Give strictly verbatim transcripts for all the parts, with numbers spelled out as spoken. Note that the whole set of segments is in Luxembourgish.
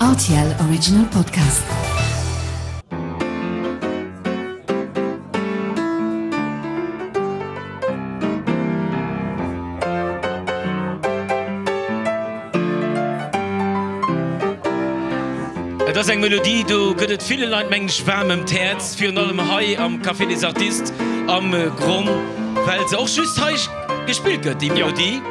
R T L Original Podcast. Et ass eng Melodie, do gëtt et ville Leit, mengen ech, waarm ëm d'Häerz, virun allem hei am Café des Artistes am Gronn, well se och just hei gespillt gëtt, déi Melodie.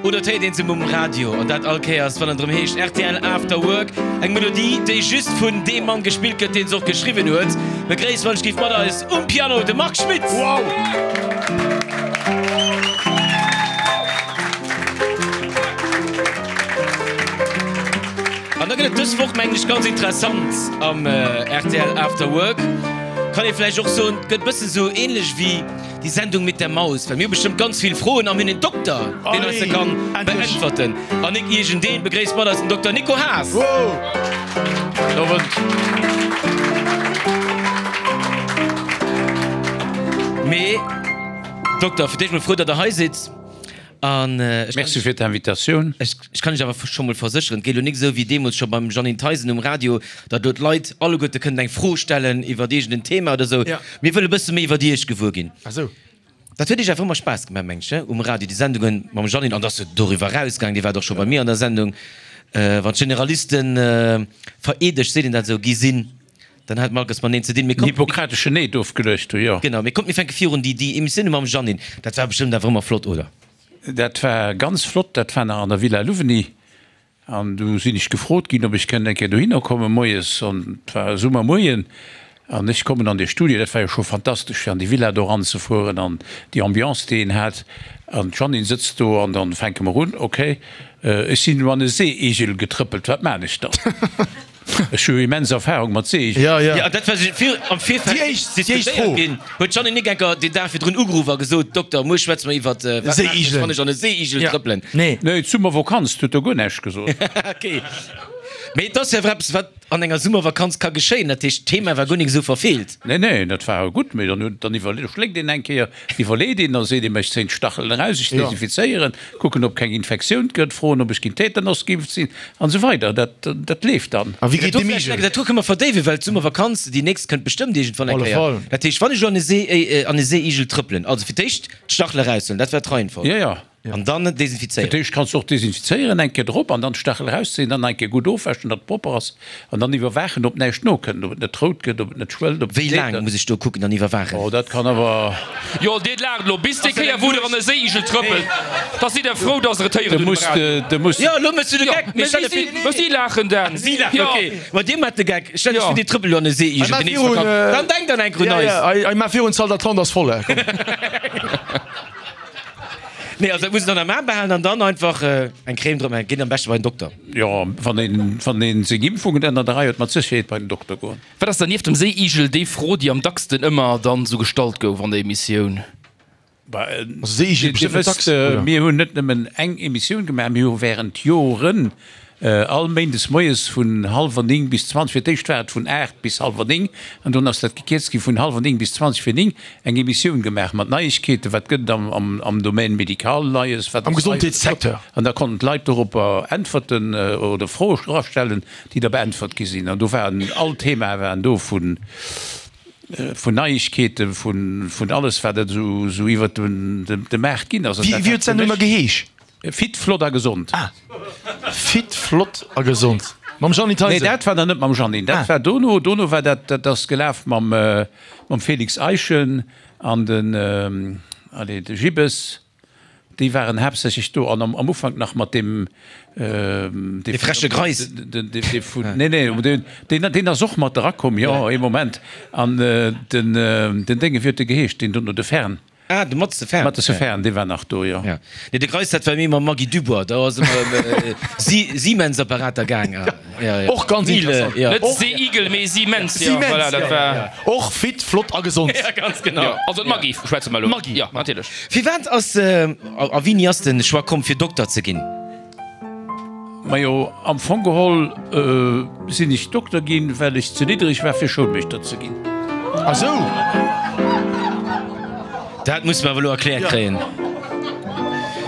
Oder et héiert een se um Radio, an dat all Kéiers, wann et erëm heescht R T L After Work. Eng Melodie, déi just vun deem Mann gespillt gëtt, deen se och geschriwwen huet. Begréisst wann ech géif mat eis um Piano de Marc Schmitt! Wow! An da gëtt et dës Woch, mengen ech, ganz interessant am R T L After Work. Kann ee vläicht och soen, et gëtt e bëssen esou ähnlech wéi Die Sendung mit der Maus, well mir hu bestëmmt ganz vill Froen a mir hunn en Dokter, deen eis se kann beäntwerten. An nik iergendeen, begréisst mat eis den Dokter Nico Haas. Gudden Owend. Mee Dokter, fir d'éischt mol frou, datt Der hei sidd. An ech kann Merci fir d'Invitatioun. Ech kann Iech awer scho mol versécheren, et geet elo nik esou wéi deemools scho beim Jeanine Theisen um Radio, datt elo d'Leit alleguerte kënnen eng Fro stellen iwwer iergend en Thema oder esou. Mir wëlle bësse méi iwwer Iech gewuer ginn. Dat huet Iech awer ëmmer Spaass gemaach, mengen ech, um Radio, déi Sendunge mam Jeanine. An et ass jo doriwwer erausgaangen, Dir waart och scho bei mir an der Sendung, wann d'Generalisten vereedegt, seet een dat esou, gi sinn, dann hat mer alles mateneen ze dinn. Mee kommt. Hippokrateschen Eed ofgeluecht hu, jo. Genau, mee kommt, mir fänke virun, déi, déi Emissioune mam Jeanine, dat war bestëmmt awer ëmmer flott, oder? Dat war ganz flott, dat war nach an der Villa Louvigny an du sinn ech gefrot ginn, ob ech kënnt eng Kéier dohinner kommen moies an et war e Summermoien an ech kommen an dee Studio, dat war jo scho fantastesch fir an déi Villa do eranzefueren an déi Ambiance déi een hat an d'Jeanine sëtzt do an dann fänke mer un, ok, ech sinn elo an e Seeigel getrëppelt, wat maan ech dann? Ech hu immens Erfahrung mat Seeigelen. Ja, ja. Ja, dat war vir, am Virfeld déi éischt, déi éischt Fro. Ginn. Huet d'Jeanne Nick enker den Dag virdrun ugeruff a gesot, Dokter, muer schwätze mer iwwert, wat maachen ech, wann ech an e Seeigel ja. trëppelen. Nee. Nee, d'Summervokanz, huet der guer näischt gesot. Ok. Mee et ass jo awer eppes, wat an enger Summervakanz ka geschéien. Dat heescht, d'Thema war guer nik esou verfeelt. Nee, nee, dat war gutt. Mee dann huet, dann iwwerle, schléckt een eng Kéier, iwwerleet een, da seet een, ech zéien d'Stachelen eraus, ech desinfizéieren, kucken ob keng Infektioun gëtt, froen ob ech géint Tetanus geimpft sinn an esou weider. Dat dat leeft dann. A wéi geet dem Igel? Dat do kënne mer verdéiwen, well d'Summervakanz, déi nächst kënnt bestëmmt iergendwann eng Kéier. Dat heescht, wann ech elo an e See, an e Seeigel trëppelen, also fir d'éischt d'Stachele eraushuelen, dat war d'Reihenfolg. Jo, jo. An dann desinfizéieren. Fir d'éischt kanns du och desinfizéieren, eng Kéier drop an dann d'Stachel erauszéien, dann nach eng Kéier gutt ofwäschen, datt et propper ass an dann iwwerwaachen, ob näischt nokënnt, ob et net rout gëtt, ob et net schwëllt, ob et Wéi laang muss ech do kucken an iwwerwaachen? Oh, dat kann awer. Jo, dir laacht elo bis déi Kéier, wou der an e Séiigel trëppelt, da sidd der frou, dass der et héieren hutt um Radio. Jo, elo méchs du de Geck. Mee si, mee si laachen dann. Si laachen, ok. Ma dir maacht de Geck. Stellt iech vir, dir trëppelt elo an e Séiigel déi nächst Vakanz. Dann denkt an enk un eis. Hei, maach virun, d'Salle d'attente ass voll. Komm. Nee, also dat muss een dann am A behalen an dann einfach eng Crème drop maachen. Geet am beschte bei den Dokter. Jo, wann een, wann een seng Impfungen ënner der Rei huet, mat Sécherheet bei den Dokter goen. Wat ass dann nieft dem Séiigel déi Fro, déi am dacksten ëmmer dann esou gestallt gouf an der Emissioun? Séiigel Dir bestimmt net wësst, dacks, oder? mir hunn net nëmmen eng Emissioun gemaach, mir hu während Joren all Méindes moies vun hallwer néng bis zwanzeg, fir d'éischt war et vun aacht bis hallwer néng an dunn ass dat gekierzt gi vun hallwer néng bis zwanzeg vir néng, eng Emissioun gemaach mat Neiegkeeten, wat gëtt et am Domaine médical Neies, wat Am ass nei, Gesondheetssecteur. An da konnten d'Leit doropper äntwerten oder Froe erastellen, déi da beäntwert gi sinn. An do waren all Themae waren do, vun vun Neiegkeeten, vun vun alles wat et esou iwwert de Maart ginn ass. An Wéi dat wéi war huet fir d'Sendung da mech geheesch? Fit, flott a gesond. Ah, Fit, flott a gesond mam Jeanny Nee, Theisen. dat war dann net mam Jeannine, dat Ah. war dono. Dono war dat, dat ass gelaf mam mam Félix Eischen an den, allez, de Gibbes. Déi waren haaptsächlech do an am Ufank nach mat deem, Dee freche Greis. Dee vun, nee, nee, deen, deen ass och mat erakomm, jo, ee Moment. An den, den Dénge, wéi huet dee geheescht, deen dono, de Fern. Ah, de Matze Fern. Matze Fern, dee war nach do, jo. Ja. Nee, de Greis, dat war méi mam Maggy Dubois, do ass ëmmer ëm Siemens-Apparater gaang. Ja, ja. Och ganz interessant. Ja. Net Seeigel, mee Siemens, jo, Siemens, voilà, dat ja, war. ja. Och fit, flott a gesond. Ja, ganz genau. Jo, also d'Maggy schwätze mer elo. D'Maggy. Jo, natierlech. Firwat ass, a wéini ass de Choix komm, fir Dokter ze ginn? Majo, am Fong geholl sinn ech Dokter ginn, well ech ze niddereg war fir Schoulmeeschter ze ginn. Ah sou! Dat musse mer awer elo erkläert kréien.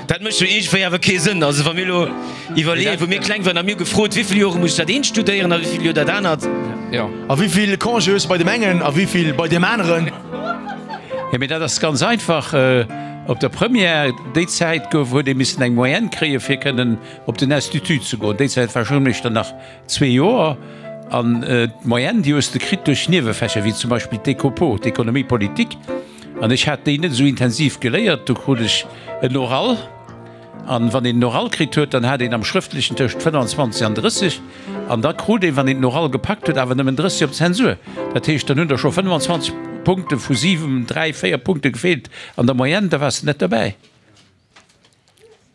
Dat mécht jo iergendwéi awer kee Sënn. Also wa mir elo iwwerleeën, wou mir kleng waren a mir hu gefrot, wéi vill Jore muss ech dat eent studéieren a wéi vill Joer dat anert. Jo. A wéi vill Congé hues de bei deem engen a wéi vill bei deem aneren? Jo, mee dat ass ganz einfach. Op der Première, déi Zäit gouf, huet ee missen eng Moyenne kréien, fir kënnen op den Institut ze goen. Déi Zäit war Schoulmeeschter nach zwee Joer. An d'Moyenne, déi hues de kritt duerch Niewefächer, wéi zum Beispill d'Ecopo, d'Économie politique. An ech hat déi net esou intensiv geléiert. Do krut ech en Oral. An wann een den Oral kritt huet, dann hat een am Schrëftlechen tëscht fënnanzwanzeg an drësseg. An da krut een, wann een den Oral gepackt huet, awer nëmmen drësseg op d'Zensur. Dat heescht, dann hunn der scho fënnanzwanzeg Punkte vu siwen, dräi, véier Punkte gefeelt an der Moyenne, da waars de net derbäi.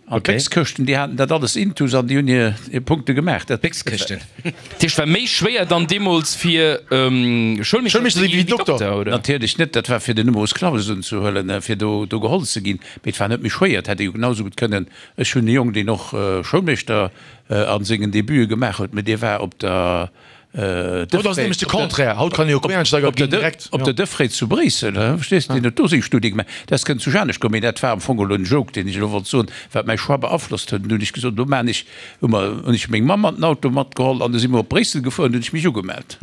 An d'Béckskëschten, déi haten dat alles intus an déi hunn hir Punkte gemaach. Dat. D'Béckskëschten. Dat heescht, war méi schwéier dann deemools fir Schoulmeeschter ze gi wéi Dokter, oder? Natierlech net, dat war fir den Numerus clausus unzehuelen, fir do do geholl ze ginn. Mee et war net méi schwéier, et hätt ee jo genau esou gutt kënnen. Ech hunn e Jong, deen och Schoulmeeschter a sengen Debute gemaach huet, mee dee war op der Haut ass et nämlech de Contraire, haut kann ee jo Quereinsteiger ginn direkt. Op der Defréit zu Bréissel, verstees de, deen huet do seng Studie gemaach. Dat ass kënnt zu Janesch komm, mee dat war am Fong elo en Joke, deen ech elo wollt soen, wat mäi Choix beaflosst huet. An du hunn ech gesot, elo maan ech, hu mer, hunn ech meng Mamm an den Auto matgeholl an du si mer op Bréissel gefuer an du hunn ech mech ugemellt.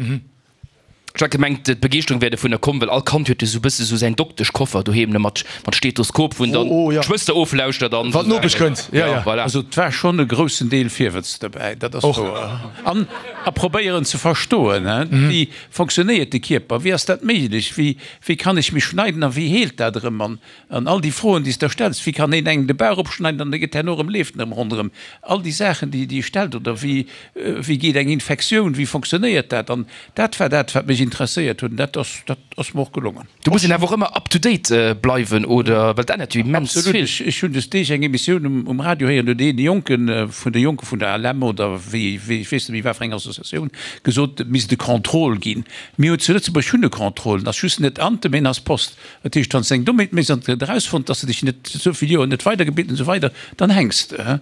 Ech hat gemengt, d'Begeeschterung wär dovunner komm, well all Kand huet jo sou bësse sou säin Dokteschkoffer doheem, ne, mat mat Stethoskop, wou en dann d'Schwëster oflauschtert an Wann d'Nopesch kënnt, jo, jo. Voilà. Also et war schonn e groussen Deel Virwëtz dobäi, dat ass wouer. An a probéieren ze verstoen, he, wéi fonctionnéiert de Kierper, wéi ass dat méiglech, wéi wéi kann ech mech schneiden a wéi heelt dat erëm an an all déi Froen, déi s de der stells, wéi kann een engem de Bauch opschneiden an e gëtt herno erëm, leeft en erëm ronderëm, all déi Saachen, déi déi ee stellt oder wéi wéi geet eng Infektioun, wéi fonctionnéiert dat an dat war dat, wat mech interesséiert huet an dat ass dat ass mer och gelongen. Do muss een awer och ëmmer up to date bleiwen, oder? Well et ännert jo immens Absolut. vill. Ech ech hunn des Deeg eng Emissioun um um Radio héieren, do huet een Jonke vun de Jonke vun der A L M oder wéi wéi ech weess net méi wat fir eng Associatioun gesot, et misst e Contrôle ginn. Mir hu zu Lëtzebuerg hunn e Contrôle, en ass just net Ante, mee en ass Post. Dat heescht, wann s de eng Dommheet méchs an et gëtt erausfonnt, dass de dech net esou vill Joer net weidergebilt an esou weider, dann hänks de.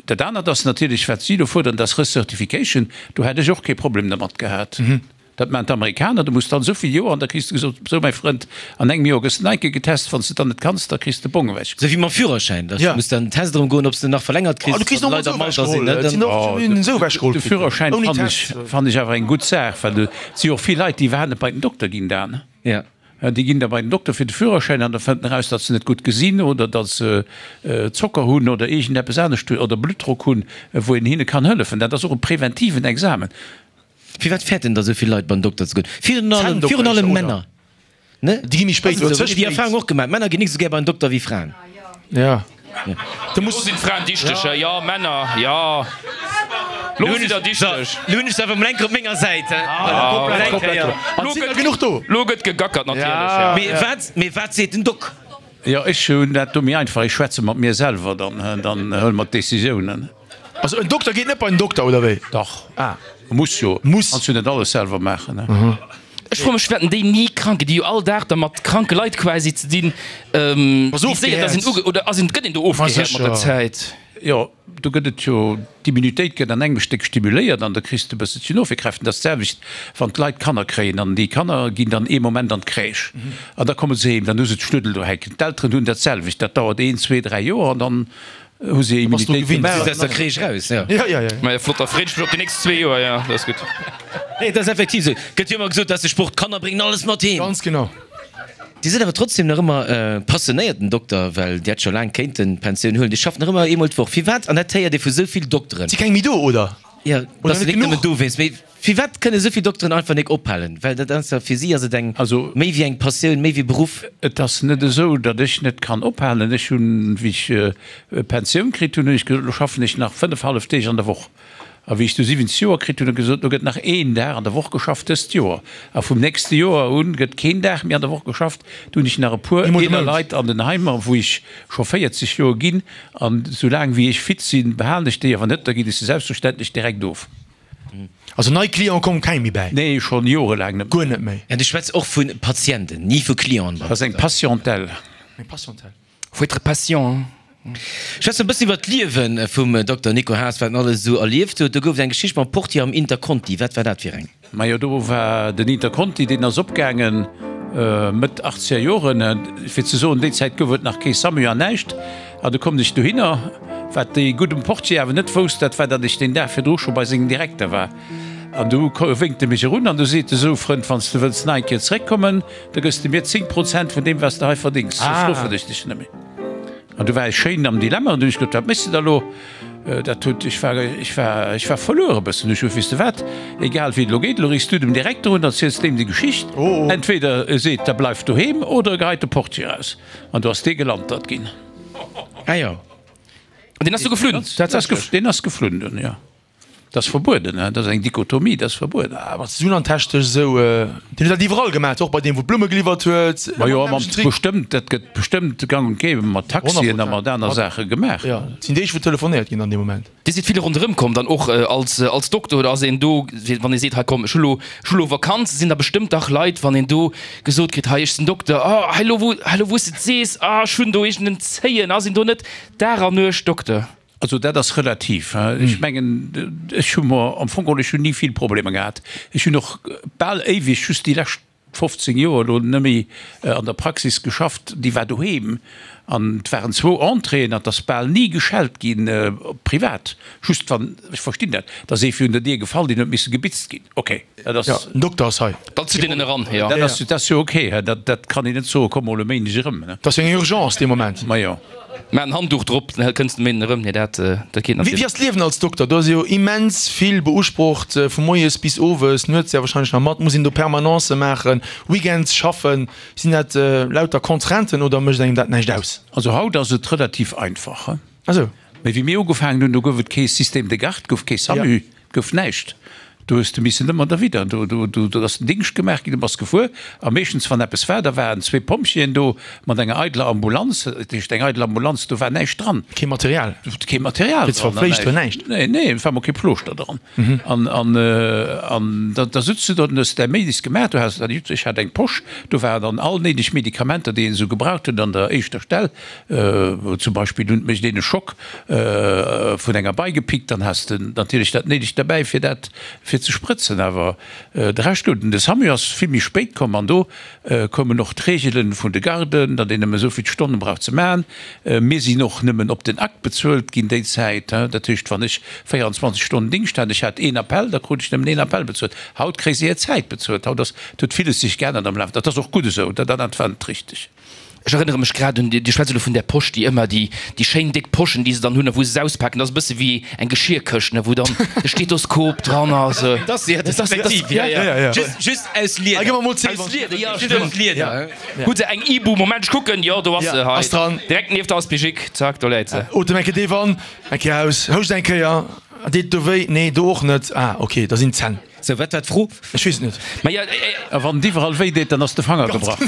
Dat anert ass natierlech, wat si do fuerderen, dat ass Recertification. Do hätt ech och kee Problem dermat gehat. Dat maachen d'Amerikaner, du muss dann esou vill Joer an da kriss de gesot, sou mäi Frënd, an engem Joer gëss de nach eng Kéier getest, wann s de dann net kanns, da kriss de Bong ewech. Sou wéi mam Führerschäin, dass du muss dann den Test erëm goen, ob s de en nach verlängert kriss, wann d'Leit am Alter sinn, ne? De Führerschäin fannen ech, fannen ech awer eng gutt Saach, well et si jo och vill Leit, déi iwwerhaapt net bei den Dokter ginn dann. Déi ginn da bei den Dokter fir de Führerschäin an da fënnt en eraus, datt se net gutt gesinn oder datt se Zocker hunn oder iergendeppes anescht oder Bluttdrock hunn, wou een hinne kann hëllefen. Dat ass och e preventiven Examen. Firwat fäerten da sou vill Leit beim Dokter ze goen? Virun allem, virun allem Männer, ne? Déi gi méi spéit oder ze spéit. Déi Erfahrung och gemaach, Männer ginn nik sou gär beim Dokter wéi Fraen. Ja. Lo sinn d'Fraen dichteg, jo Männer, jo lo sidd der dichteg. Lo hunn ech se awer mol eng Kéier op menger Säit, he. Komplett, komplett. An et sinn der genuch do. Lo gëtt gegackert natierlech, jo. Mee wat, mee wat seet den Doc? Jo, ech hunn dat do méi einfach, ech schwätze mat mir selwer, dann, dann huele mer d'Décisiounen. Also en Dokter geet net bei den Dokter, oder wéi? Dach. Ah. Muss jo. Muss. Kanns jo net alles selwer maachen, he. Ech froe mech, wäerten déi ni krank ginn? Déi hu jo all Dag da mat kranke Leit quasi ze dinn. Wéi séier dass een uge, oder ass een, gëtt een do ofgehäert mat der Zäit? Jo, do gëtt et jo, d'Immunitéit gëtt an engem Stéck stimuléiert an da kriss de e bësselchen Ofwierkräften. Dat ass d'selwecht, wann d'Leit Kanner kréien an déi Kanner ginn dann ee Moment an d'Crèche an da komme se heem, dann hu se d'Schnuddel do hänken. D'Elteren hunn dat selwecht, dat dauert een, zwee, dräi Joer an dann Hu se Immunitéit gemaach? Aus der Crèche raus, jo. Ja, ja, ja. Maja, flott, da freet ech mech op déi nächst zwee Joer, jo, dat ass gutt. Nee, et ass effektiv esou. Gëtt jo ëmmer gesot, dass de Sport, d'Kanner bréngen alles mat heem. Ganz genau. Dir sidd awer trotzdem nach ëmmer passionéierten Dokter, well Dir hätt scho laang kéinten d'Pensioun huelen. Dir schafft nach ëmmer eemol d'Woch. Firwat? An dat héiert ee vu sou vill Dokteren. Et si keng méi do, oder? Jo, et ass nik nëmmen dowéinst. Mee firwat kënne esou vill Dokteren einfach nik ophalen? Well dat ass jo, fir si ass et eng, méi wéi eng Passioun, méi wéi Beruff. Et ass net esou, datt ech net kann ophalen. Ech hunn, wéi ech Pensioun kritt hunn, hunn ech gesot, elo schaffen ech nach fënnef hallef Deeg an der Woch. A wéi ech du siwwenzeg Joer kritt hunn, hunn ech gesot, elo gëtt nach een Dag an der Woch geschafft dëst Joer. A vum nächste Joer un gëtt keen Dag méi an der Woch geschafft. Do hunn ech nach e puer eeler Leit an den Heimer, wou ech scho véierzeg Joer ginn. An soulaang wéi ech fit sinn, behalen ech déi awer net, da ginn ech se selbstverständlech direkt of. Also nei Clienten kommen keng méi bäi? Nee, schonn jorelaang net méi. Guer net méi? Ja, du schwätz och vu Patienten, ni vu Clienten. Dat ass eng Patientèle. Eng Patientèle. Faut être patient, hein. Schwätze mer e bëssen iwwer d'Liewe vum Dokter Nico Haas, wat en alles esou erlieft huet. Do gouf et eng Geschicht mam Portier am Interconti. Wat war dat fir eng? Majo, do war den Interconti, deen ass opgaangen Mëtt achtzeger Joren. Fir ze soen, déi Zäit gouf et nach kee Samu an näischt. An du kommen ech dohinner. Wat dee gudden Portier awer net wousst, dat war, datt ech deen Dag virdru scho bei sengem Direkter war. An du wénkt e mech erun an du seet e, Sou Frënd, wann s de wëlls nach eng Kéier zeréckkommen, da gëss de mir zéng Prozent vun deem, wat s de hei verdéngs, soss ruffen ech dech net méi. An du war ech schéin am Dilemma an du hunn ech gesot, Wat méchs de da lo? Dat huet, ech war, ech war, ech war verluer e bëssen. Ech hu, Weess de wat, egal wéi et elo geet, elo riffs du dem Direkter un, erziels deem déi Geschicht. Entweder e seet, da bleif doheem, oder e geheit de Portier eraus. An du ass dee gelantert ginn. Ah jo. An deen ass du geflunn? Deen ass geflunn dunn, jo. Dat ass verbueden, dat ass eng Dichotomie, dat ass verbueden. Ah, mat Sunantechnesch esou, deen huet dat iwwerall gemaach, och bei deem wou d'Blumme geliwwert huet. Ma jo, ma bestëmmt, dat gëtt bestëmmt gang und gäbe mat Taxien a mat aner Saache gemaach. Jo, et sinn déi wou telefonéiert ginn an deem Moment. Dir sidd vill ronderëm komm dann och als als Dokter, oder ass een do, wann ee seet, hei komm, ech hu lo, ech hu lo Vakanz, sinn da bestëmmt dach Leit, wann een do gesot kritt, hei ech sinn Dokter, oh hei lo wou, hei lo wou s de et sees, ah ech hunn do iergend en Zéien, ass een do net Dag an Nuecht Dokter? Also dat ass relativ. Ech mengen, ech hu mer am Fong geholl, ech hunn ni vill Problemer gehat. Ech hunn och bal éiweg, just déi lescht fofzéng Joer elo net méi an der Praxis geschafft, déi war doheem an et waren zwou Entréeën an et ass bal ni geschellt ginn, privat, just wann, ech verstinn dat, et ass ee virun der Dier gefall, deen huet misse gebitzt ginn, okay, dat ass. Jo, den Dokter ass hei. Dann zitt een en eran, jo. Dat ass, dat ass jo okay, dat, dat kann een net soen, komm mol e Méindeg erëm. Dat ass jo eng Urgence dee Moment. Majo. Maach en Handduch drop, dann kënns de méi erëm. Nee, dat, dat geet natierlech. Wéi ass d'Liewen als Dokter? Do ass jo immens vill beusprocht, vu moies bis owes, nuets ja wahrscheinlech nach mat. Muss een do Permanencë maachen, Weekends schaffen? Sinn dat lauter Contrainten oder mécht engem dat näischt aus? Also haut ass et relativ einfach. Ah sou. Mee wéi mir ugefaangen hunn, do gouf et kee Système de garde, gouf kee SAMU. Gouf näischt. Do hues de missen ëmmer derwidder. Do, do, do, do ass den Dingscht gemaach ginn, du bass gefuer. A meeschtens, wann eppes war, da waren zwee Pompjeeën do mat enger eideler Ambulanz. Dat heescht, eng eidel Ambulanz, do war näischt dran. Kee Material. Kee Material dran. Fir ze verfleegt, näischt. Nee, nee, et war mol kee Plooschter dran. An, an, an da, da sutz du do, dann hues de däi Méidis gemaach. Du has, ech hat eng Posch, do waren dann all néideg Medikamenter, déi een esou gebraucht huet an der éischter Stell. Zum Beispill hunn mécht een e Schock vun enger Bei gepickt, dann has de natierlech dat Néidegt derbäi fir dat fir ze sprëtzen. Awer de Rescht gouf. Den SAMU ass vill méi spéit komm an do koumen och d'Reegelen vun de Garden, datt een nëmme esou vill Stonne brauch ze maachen. Mir sinn och nëmmen op den Akt bezuelt ginn déi Zäit. Dat heescht, wann ech véierundzwanzeg Stonnen Dingscht hat, ech hat een Appell, da krut ech nëmmen een Appell bezuelt. Haut kréis de är Zäit bezuelt. Haut ass, et huet villes sech geännert am Laf. Dat ass och gutt esou, dat dat war net richteg. Ech erënnere mech grad un, Dir schwätzt elo vun där Posch, déi ëmmer déi, déi schéin déck Poschen, déi se dann hunn a wou se se auspaken, dat ass e bësse wéi eng Geschierkëscht, ne, wou dann de Stethoskop dran ass. Dat ass, ja, dat ass effektiv, ja, ja, just, just aus Lieder. Gëff mer mol zéi, Aus Lieder, ja, stimmt. Aus Lieder. Hutt se eng Ibu? Moment, ech kucken, jo, do ass se, hei, Ass dran. direkt nieft der Aspigik, zack, do läit se. Otem eng Kéier déif an, eng Kéier aus, houscht eng Kéier, deet do wéi? Nee, do och net. Ah, ok, da sinn d'Zänn. Sou, wat war d'Fro? Ech weess et net. Ma ja, eh. A wann et iwwerall wéi deet, dann ass de Fanger gebrach.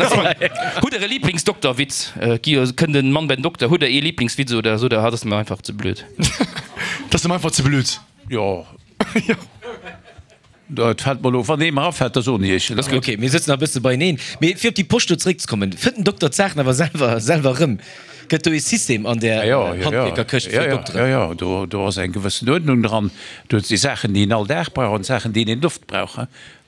Hutt der e Lieblingsdokterwitz? Gi kënnt en Mann bei den Dokter, hutt der ee Lieblingswitz oder sot der, hat ass mer einfach ze blöd? Dat ass em einfach ze blöd. Jo. Et fält mer elo, wann ee mer afält, da soen ech iech en. Ok, mir sëtzen nach e bësse beieneen. Mee fir op déi Posch do zeréckzekommen, fënnt den Dokter d'Saachen awer selwer selwer erëm? Gëtt do ee System an där Handwierkerkëscht fir Dokteren? Jo, jo, jo, do ass eng gewëssen Uerdnung dran. Do si Saachen, déi een all Dag brauch an Saachen, déi een net oft brauch.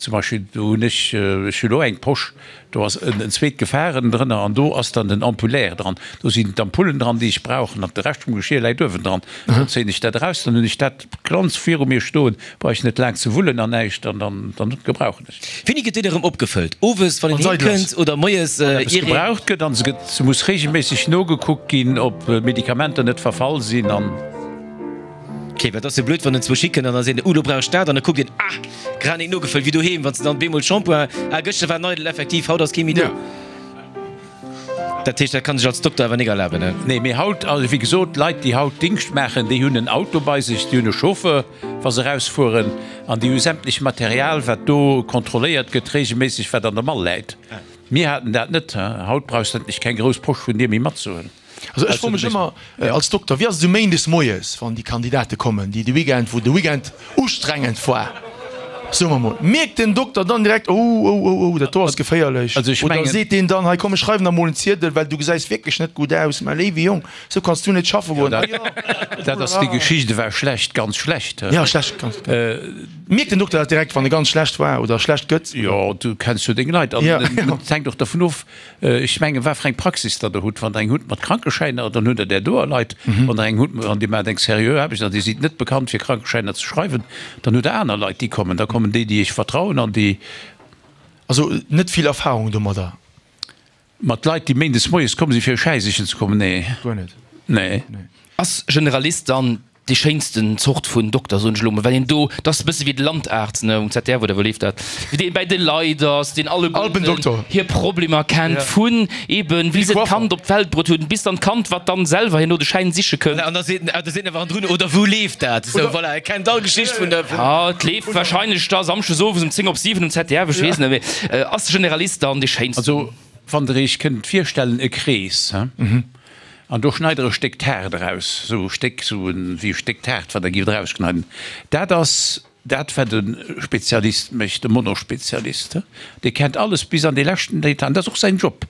Zum Beispill do hunn ech, ech hu lo eng Posch, do ass en zweet Gefahren drënner an do ass dann den Ampulaire dran. Do sinn d'Ampullen dran, déi ech brauch an de Rescht vum Geschir läit uewendran. Dann zéien ech dat eraus, dann hunn ech dat glanz viru mir stoen, brauch ech net laang ze wullen an näischt an dann, dann gebrauchen ech. Wéini gëtt déi da rëm opgefëllt? Owes, wann een heem kënnt oder moies, ier een. Gebraucht gëtt an se gëtt, se muss reegelméisseg nogekuckt ginn, ob d'Medikamenter net verfall sinn an. Ok, well et ass jo blöd, wann en zwou schicken an da seet en, uh, lo brauch ech dat an da kuckt een, ah, grad nik nogefëllt, wéi doheem, wann s de dann bemol Shampoing, ah, gëschter war en eidel, effektiv, haut ass kee méi do. Dat heescht, dat kann sech als Dokter awer nik erlaben, ne? Nee, mee haut, also wéi gesot, d'Leit, déi haut Dingscht maachen, déi hunn en Auto bei sech, déi hunn e Chauffeur, wa se erausfueren, an déi hu sämtlech Material, wat do kontrolléiert gëtt, reegelméisseg, wat an der Mall läit. Mir haten dat net. Haut brauchs de endlech keng grouss Posch vun dir méi matzehuelen. Also ech froe mech ëmmer als Dokter, wéi ass et esou méindes moies, wann déi Kandidate kommen, déi de Weekend, wou de Weekend ustrengend war, Soe mer mol, mierkt den Dokter dann direkt, oh, oh, oh, oh, dat do ass geféierlech? Also ech Oder mengen. seet deen dann, hei komm, ech schreiwen der mol en Ziedel, well du gesäis wierklech net gutt aus, mä léiwe Jong, sou kanns du net schaffe goen. Ah jo, Dat ass, déi Geschicht war schlecht, ganz schlecht. Ja, schlecht, ganz. Mierkt den Dokter dat direkt, wann e ganz schlecht war oder schlecht gëtt? Jo, du kenns jo deng Leit an et hänkt och dervun of, ech mengen, wat fir eng Praxis der der hutt. Wann der eng hutt mat Krankeschäiner, dann hutt der där doer Leit. Wann der eng hutt an Dir maacht eng seriö Aarbecht an Dir sidd net bekannt fir Krankeschäiner ze schreiwen, dann hutt der aner Leit, déi kommen. Da kommen déi, déi Iech vertrauen an déi. Also net vill Erfahrung domadder? Mat Leit, déi méindes moies komm si fir e Schäi sichen ze kommen? Nee. Guer net? Nee. Ass Generalist dann déi schéinsten Zort vun Dokter, soen ech elo mol, well een do, dat ass e bësse wéi de Landarzt, ne, um Z D F oder wou leeft dat, wéi deen bäi de Leit ass, deen alleguerten Alpendoktor. hir Problemer kennt, vun eben wéi se d'Kand op d'Welt bruet hunn, bis dann d'Kand, wat dann selwer herno de Schäin siche kënnt. An da seet en, da seet en awer hannendrun, oder wou leeft dat? Esou, voilà, e kennt all Geschicht vun der. Ja, et leeft wahrscheinlech da samschdes owes um zéng op siwen um Z D F, ech weess net, mee ass de Generalist dann dee schéinsten? Also, wann Der Iech kënnt virstellen, e Krees, he? An do schneit Der e Stéck Taart eraus, esou e Stéck, esou wéi e Stéck Taart, wat Der gift erausschneiden. Dat ass dat, wat e Spezialist mécht, e Monospezialist. Dee kennt alles bis an dee leschten Detail, an dat ass och säin Job.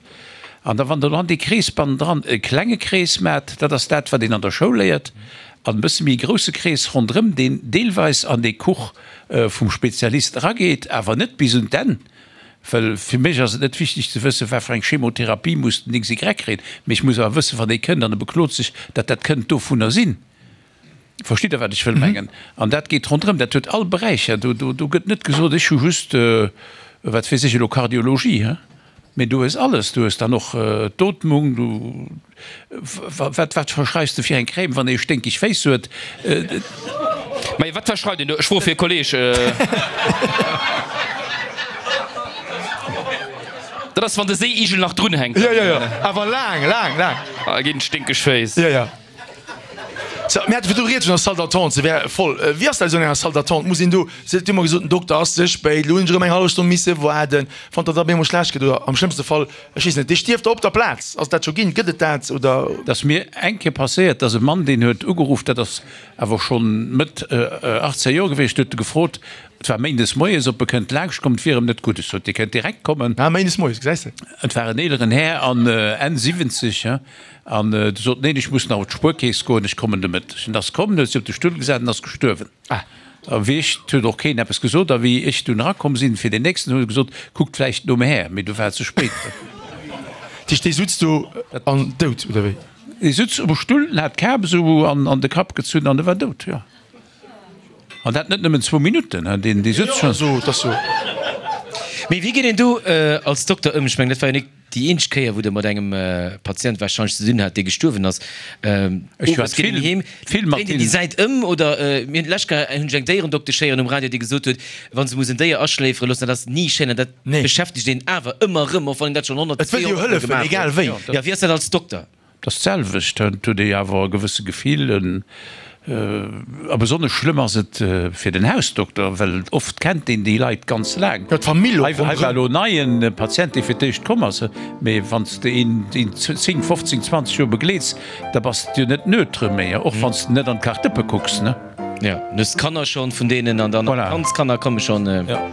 An da wann Der an dee Krees bannendran e klenge Krees maacht, dat ass dat, wat een an der Schoul léiert, an e bësse méi grousse Krees ronderëm, deen deelweis an dee Kuch vum Spezialist erageet, awer net bis un d'Enn. Well fir mech ass et net wichteg ze wëssen, wat fir eng Chemotherapie muss den X Y kréien, mee ech muss awer wëssen, wann ee kënnt an e beklot sech, datt dat kënnt dovunner sinn. Verstitt Der, wat ech wëll mengen? An dat geet ronderëm, dat huet all Beräicher. Do, do, do gëtt net gesot, ech hu just, wat weess ech elo, Kardiologie, he? Mee du hues alles. Du hues dann och d'Ootmung, du, Wat, wat verschreifs de fir eng Crème, wann ee sténkeg Féiss huet? Majo, wat verschreift een do? Ech froe fir e Kolleg. Dat ass, wann de Séiigel nach drun hänkt. Jo, jo, jo, awer laang, laang, laang. Ah, ginn sténkeg Féiss. Jo, jo. Sou, mir hate virdu rieds vun der Salle d'attente, se wär voll. Wéi ass dat esou an enger Salle d'attente? Muss een do, se huet ëmmer gesot, den Dokter ass ze spéit, elo hunn ech erëm eng hallef Stonn misse waarden. Wann der da op eemol schlecht gëtt oder am schlëmmste Fall, ech weess net, dee stierft da op der Plaz. Ass et dat scho ginn? Gëtt et dat oder? Et ass mir eng Kéier passéiert, dass e Mann, deen huet ugeruff, dat ass awer schonn Mëtt achtzéng Joer gewiescht, huet e gefrot, et war méindes moies, ob e kënnt laangscht kommen, et wier em net gutt. Ech sot, Dir kënnt direkt kommen. Ah, méindes moies, gesäis de. Et war en eeleren Här an Enn siwwenzeg, An du sot, Neen, ech muss nach op d'Spuerkeess goen, ech kommen de Mëtteg. En ass komm, huet sech op de Stull gesat an ass gestuerwen. A wéi ech, 't huet och keen eppes gesot, a wéi ech dunn erakomm sinn fir den nächsten, hunn se gesot, Kuckt vläicht nom Här, mee du war et ze spéit. Dat heescht, dee sutz do an dout, oder wéi? Dee sutz um Stull, en hat d'Kap esou an de Kapp gezunn an e war dout, jo. An dat net nëmmen zwou Minutten, deen dee sutz schonn. Jo, dat ass jo. Mee wéi geet een do als Dokter ëm? Ech mengen, dat war jo nik déi eenzeg Kéier, wou Der mat engem Patient warscheinlech ze dinn hat, dee gestuerwen ass. Ech Owes hat geet een vill, heem, vill mat dréint een déi deenen. Säit ëm oder mir hunn d'lescht Kéier hunn ech eng Déierendoktesch héieren um Radio, déi gesot huet, wa se muss en Déier aschléifere loossen, dat ass ni schéin an dat Nee. beschäftegt een awer ëmmer erëm, och wann een dat schonn honnert, Et wëllt jo zweehonnert Mol hëllefen, gemaach egal huet. wéi. Jo, wéi ass dat als Dokter? Et ass d'selwecht, et huet ee awer e gewësse Gefill, a besonnesch schlëmm ass et fir den Hausdokter, well oft kennt een déi Leit ganz laang. Jo, d'Famill och Hei war ronderëm. elo en neie Patient, dee fir d'éischt komm ass, mee wann s de een zéng, fofzéng, zwanzeg Joer begleets, da bass de jo net neutre méi, och wann s de net an d'Kartëppe kucks, ne? Jo, du hues d'Kanner schonn vun deenen an dann Voilà. d'Kandskanner komme schonn. Jo.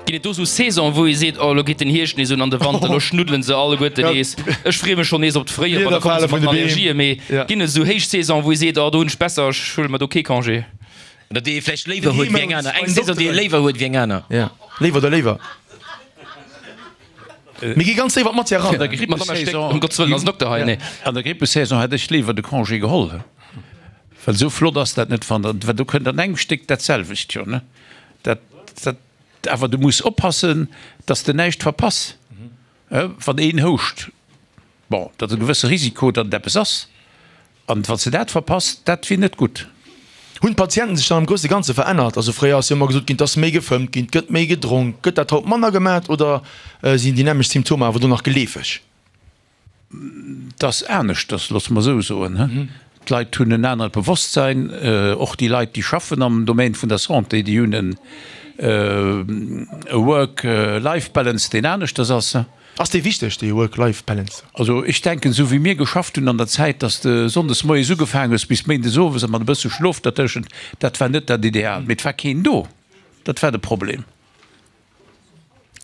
Ginn et do sou Saisonen, wou ee seet, oh lo geet den Hierscht nees un an de Wanter, lo schnuddelen se alleguerten nees, ech freeë mech schonn nees op d'Fréijoer, bon da komme se mat den Allergien, mee ginn et esou héich Saisonen, wou ee seet, oh do hunn ech besser, ech huele mer do kee Congé? Oder déi ee vläicht léiwer huet wéi eng aner, eng Saison, déi ee léiwer huet wéi eng aner. Jo, léiwer oder léiwer. Mir gi ganz séier an d'Matière eran. An der Madame Stéck, Grippesaison, ëm Gottes Wëllen, ass en Dokter hei, nee. An der Grippesaison hätt ech léiwer de Congé geholl, well esou flott ass dat net, wann der, well do kënnt an engem Stéck dat selwecht, jo, ne? Dat, dat. Awer du muss oppassen, dass de näischt verpass. Wann een houscht, bon, dat ass e gewësse Risiko, datt et eppes ass. An wann s de dat verpass, dat wier net gutt. Hunn d'Patienten sech dann am grousse Ganze verännert? Also fréier ass jo ëmmer gesot ginn, et ass méi gefëmmt ginn, et gëtt méi gedronk. Gëtt dat haut manner gemat oder sinn déi nämmlecht Symptomer awer do nach geleefeg? 't ass aneschters, loosse mer esou soen. D'Leit hunn en anert Bewosstsein, och déi Leit, déi schaffen am Domaine vun der Santé, déi hunn en Work-Life-Balance, deen aneschters ass. Ass dee wichteg, dee Work-Life-Balance? Also ech denken, esou wéi mir geschafft hunn an der Zäit, dass de sonndes moies ugefaangen hues bis méindes owes a mat e bësse Schlof dertëschent, dat war net dat Ideal. Mee et war keen do, dat war de Problem.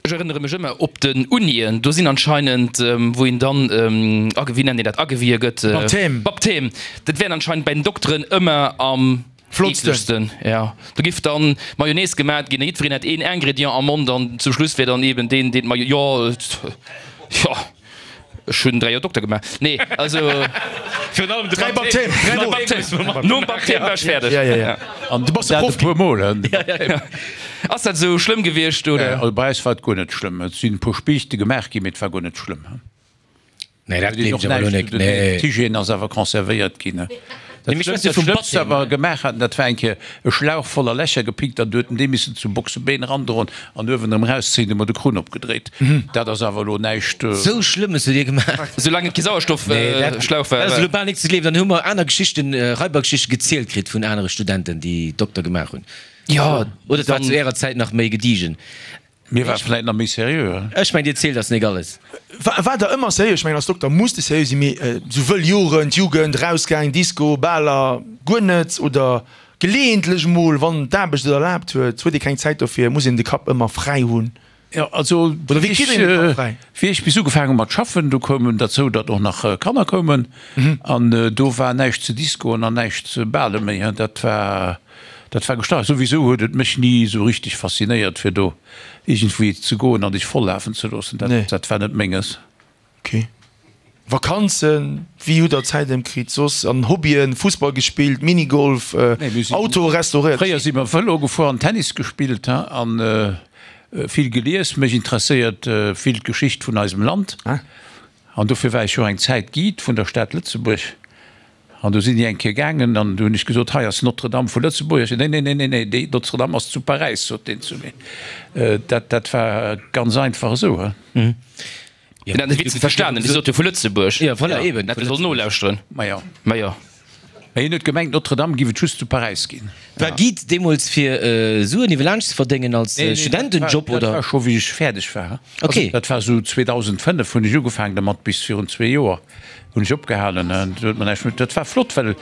Ech erënnere mech ëmmer op den Unien, do sinn anscheinend, wou een dann, wéi nennt een dat, agewie gëtt? Baptême. Baptême. Dat wären anscheinend bei den Dokteren ëmmer am Flottsten. Eeklegsten. Jo, do giff dann Mayonnaise gemat ginn a jiddwereen hätt een Ingrédient am Mond an zum Schluss wär dann eben deen, deen d'Mayo, jo, jo. Ech hunn dräi Joer Dokter gemaach. Nee, also. Virun allem de Dräi Baptême. Dräi Baptême. Nom Baptême war ech fäerdeg. Ja, ja, ja. An Du bass de dat e Prof puer Mol, hein, de Baptême. Ass dat esou schlëmm gewiescht, oder? Also bei eis war et guer net schlëmm. Et sinn e puer Spiichte gemaach ginn, mee et war guer net schlëmm. Nee, dat gleef ech awer elo net. Nee. D'Hygiène ass awer conservéiert ginn. Nee, mee ech schwätze vum Dat Schlëmmst, wat Baptême. mer gemaach haten, dat war eng Kéier e Schlauch voller Lächer gepickt an du huet en dee missen zu Boxebeen erandroen an uewen erëm erauszéien, hu mer de Krunn opgedréit. Dat ass awer elo näischt. Sou Schlëmmes hutt Dir gemaach? Soulaang et kee Sauerstoffschlauch war. Dat ass elo bal nik ze gleewen. Dann hu mer aner Geschichten, Raibergeschichten gezielt kritt vun anere Studenten, déi Dokter gemaach hunn. Jo, Oder et war zu Ärer Zäit nach méi gediegen. Mir ware vläit nach méi seriö. Ech mengen, Dir zielt eis nik alles. War, war der ëmmer seriö? Ech mengen, als Dokter muss de seriö sinn, mee sou wëll Joren, d'Jugend, rausgaang, Disco, Baler, guer net? Oder geleeëntlech mol, wann d'Aarbecht et erlaabt huet? Huet ee keng Zäit dofir? Muss een de Kapp ëmmer fräi hunn? Jo, also Oder wéi kritt een de Kapp fräi? Wéi ech bis ugefaangen hu mat schaffen, do koum en derzou, datt och nach Kanner koumen an do war näischt ze discoen an näischt ze bale méi. Dat war. Dat war gestart. Souwisou huet et mech ni esou richteg faszinéiert fir do iergendwéi ze goen an dech vollafen ze loossen. Dat, dat war net menges. Ok. Vakanzen, wéi hutt der Zäit ëmkritt soss? An Hobbyen, Fussball gespillt, Minigolf, Auto restauréiert? Fréier si mer Vëlo gefuer an Tennis gespillt an vill gelies. Mech interesséiert vill d'Geschicht vun eisem Land an dofir war ech jo eng Zäit Guide vun der Stad Lëtzebuerg. An du sinn déi eng Kéier gaangen an du hunn ech gesot, hei ass Notre-Dame vu Lëtzebuerg. Nee, nee, nee, nee, nee, déi Notre-Dame ass zu Paräis, sot deen zu mir. Dat, dat war ganz einfach esou, he. Deen hat de Witz net verstanen, dee sot jo vu Lëtzebuerg. Ja, voilà, eben. Hätt e sollen nolauschteren. Ma jo. Ma jo. Mä hien huet gemengt, Notre-Dame giff et just zu Paräis ginn. War Guide deemools fir Suen iwwerlaanscht ze verdéngen als Studentenjob, oder? Dat war scho wéi ech fäerdeg war. Okay. Dat war esou zweedausendfënnef hunn ech ugefaangen dermat, bis virun zwee Joer. Hunn ech opgehalen. Do huet mer näischt méi. Dat war flott, well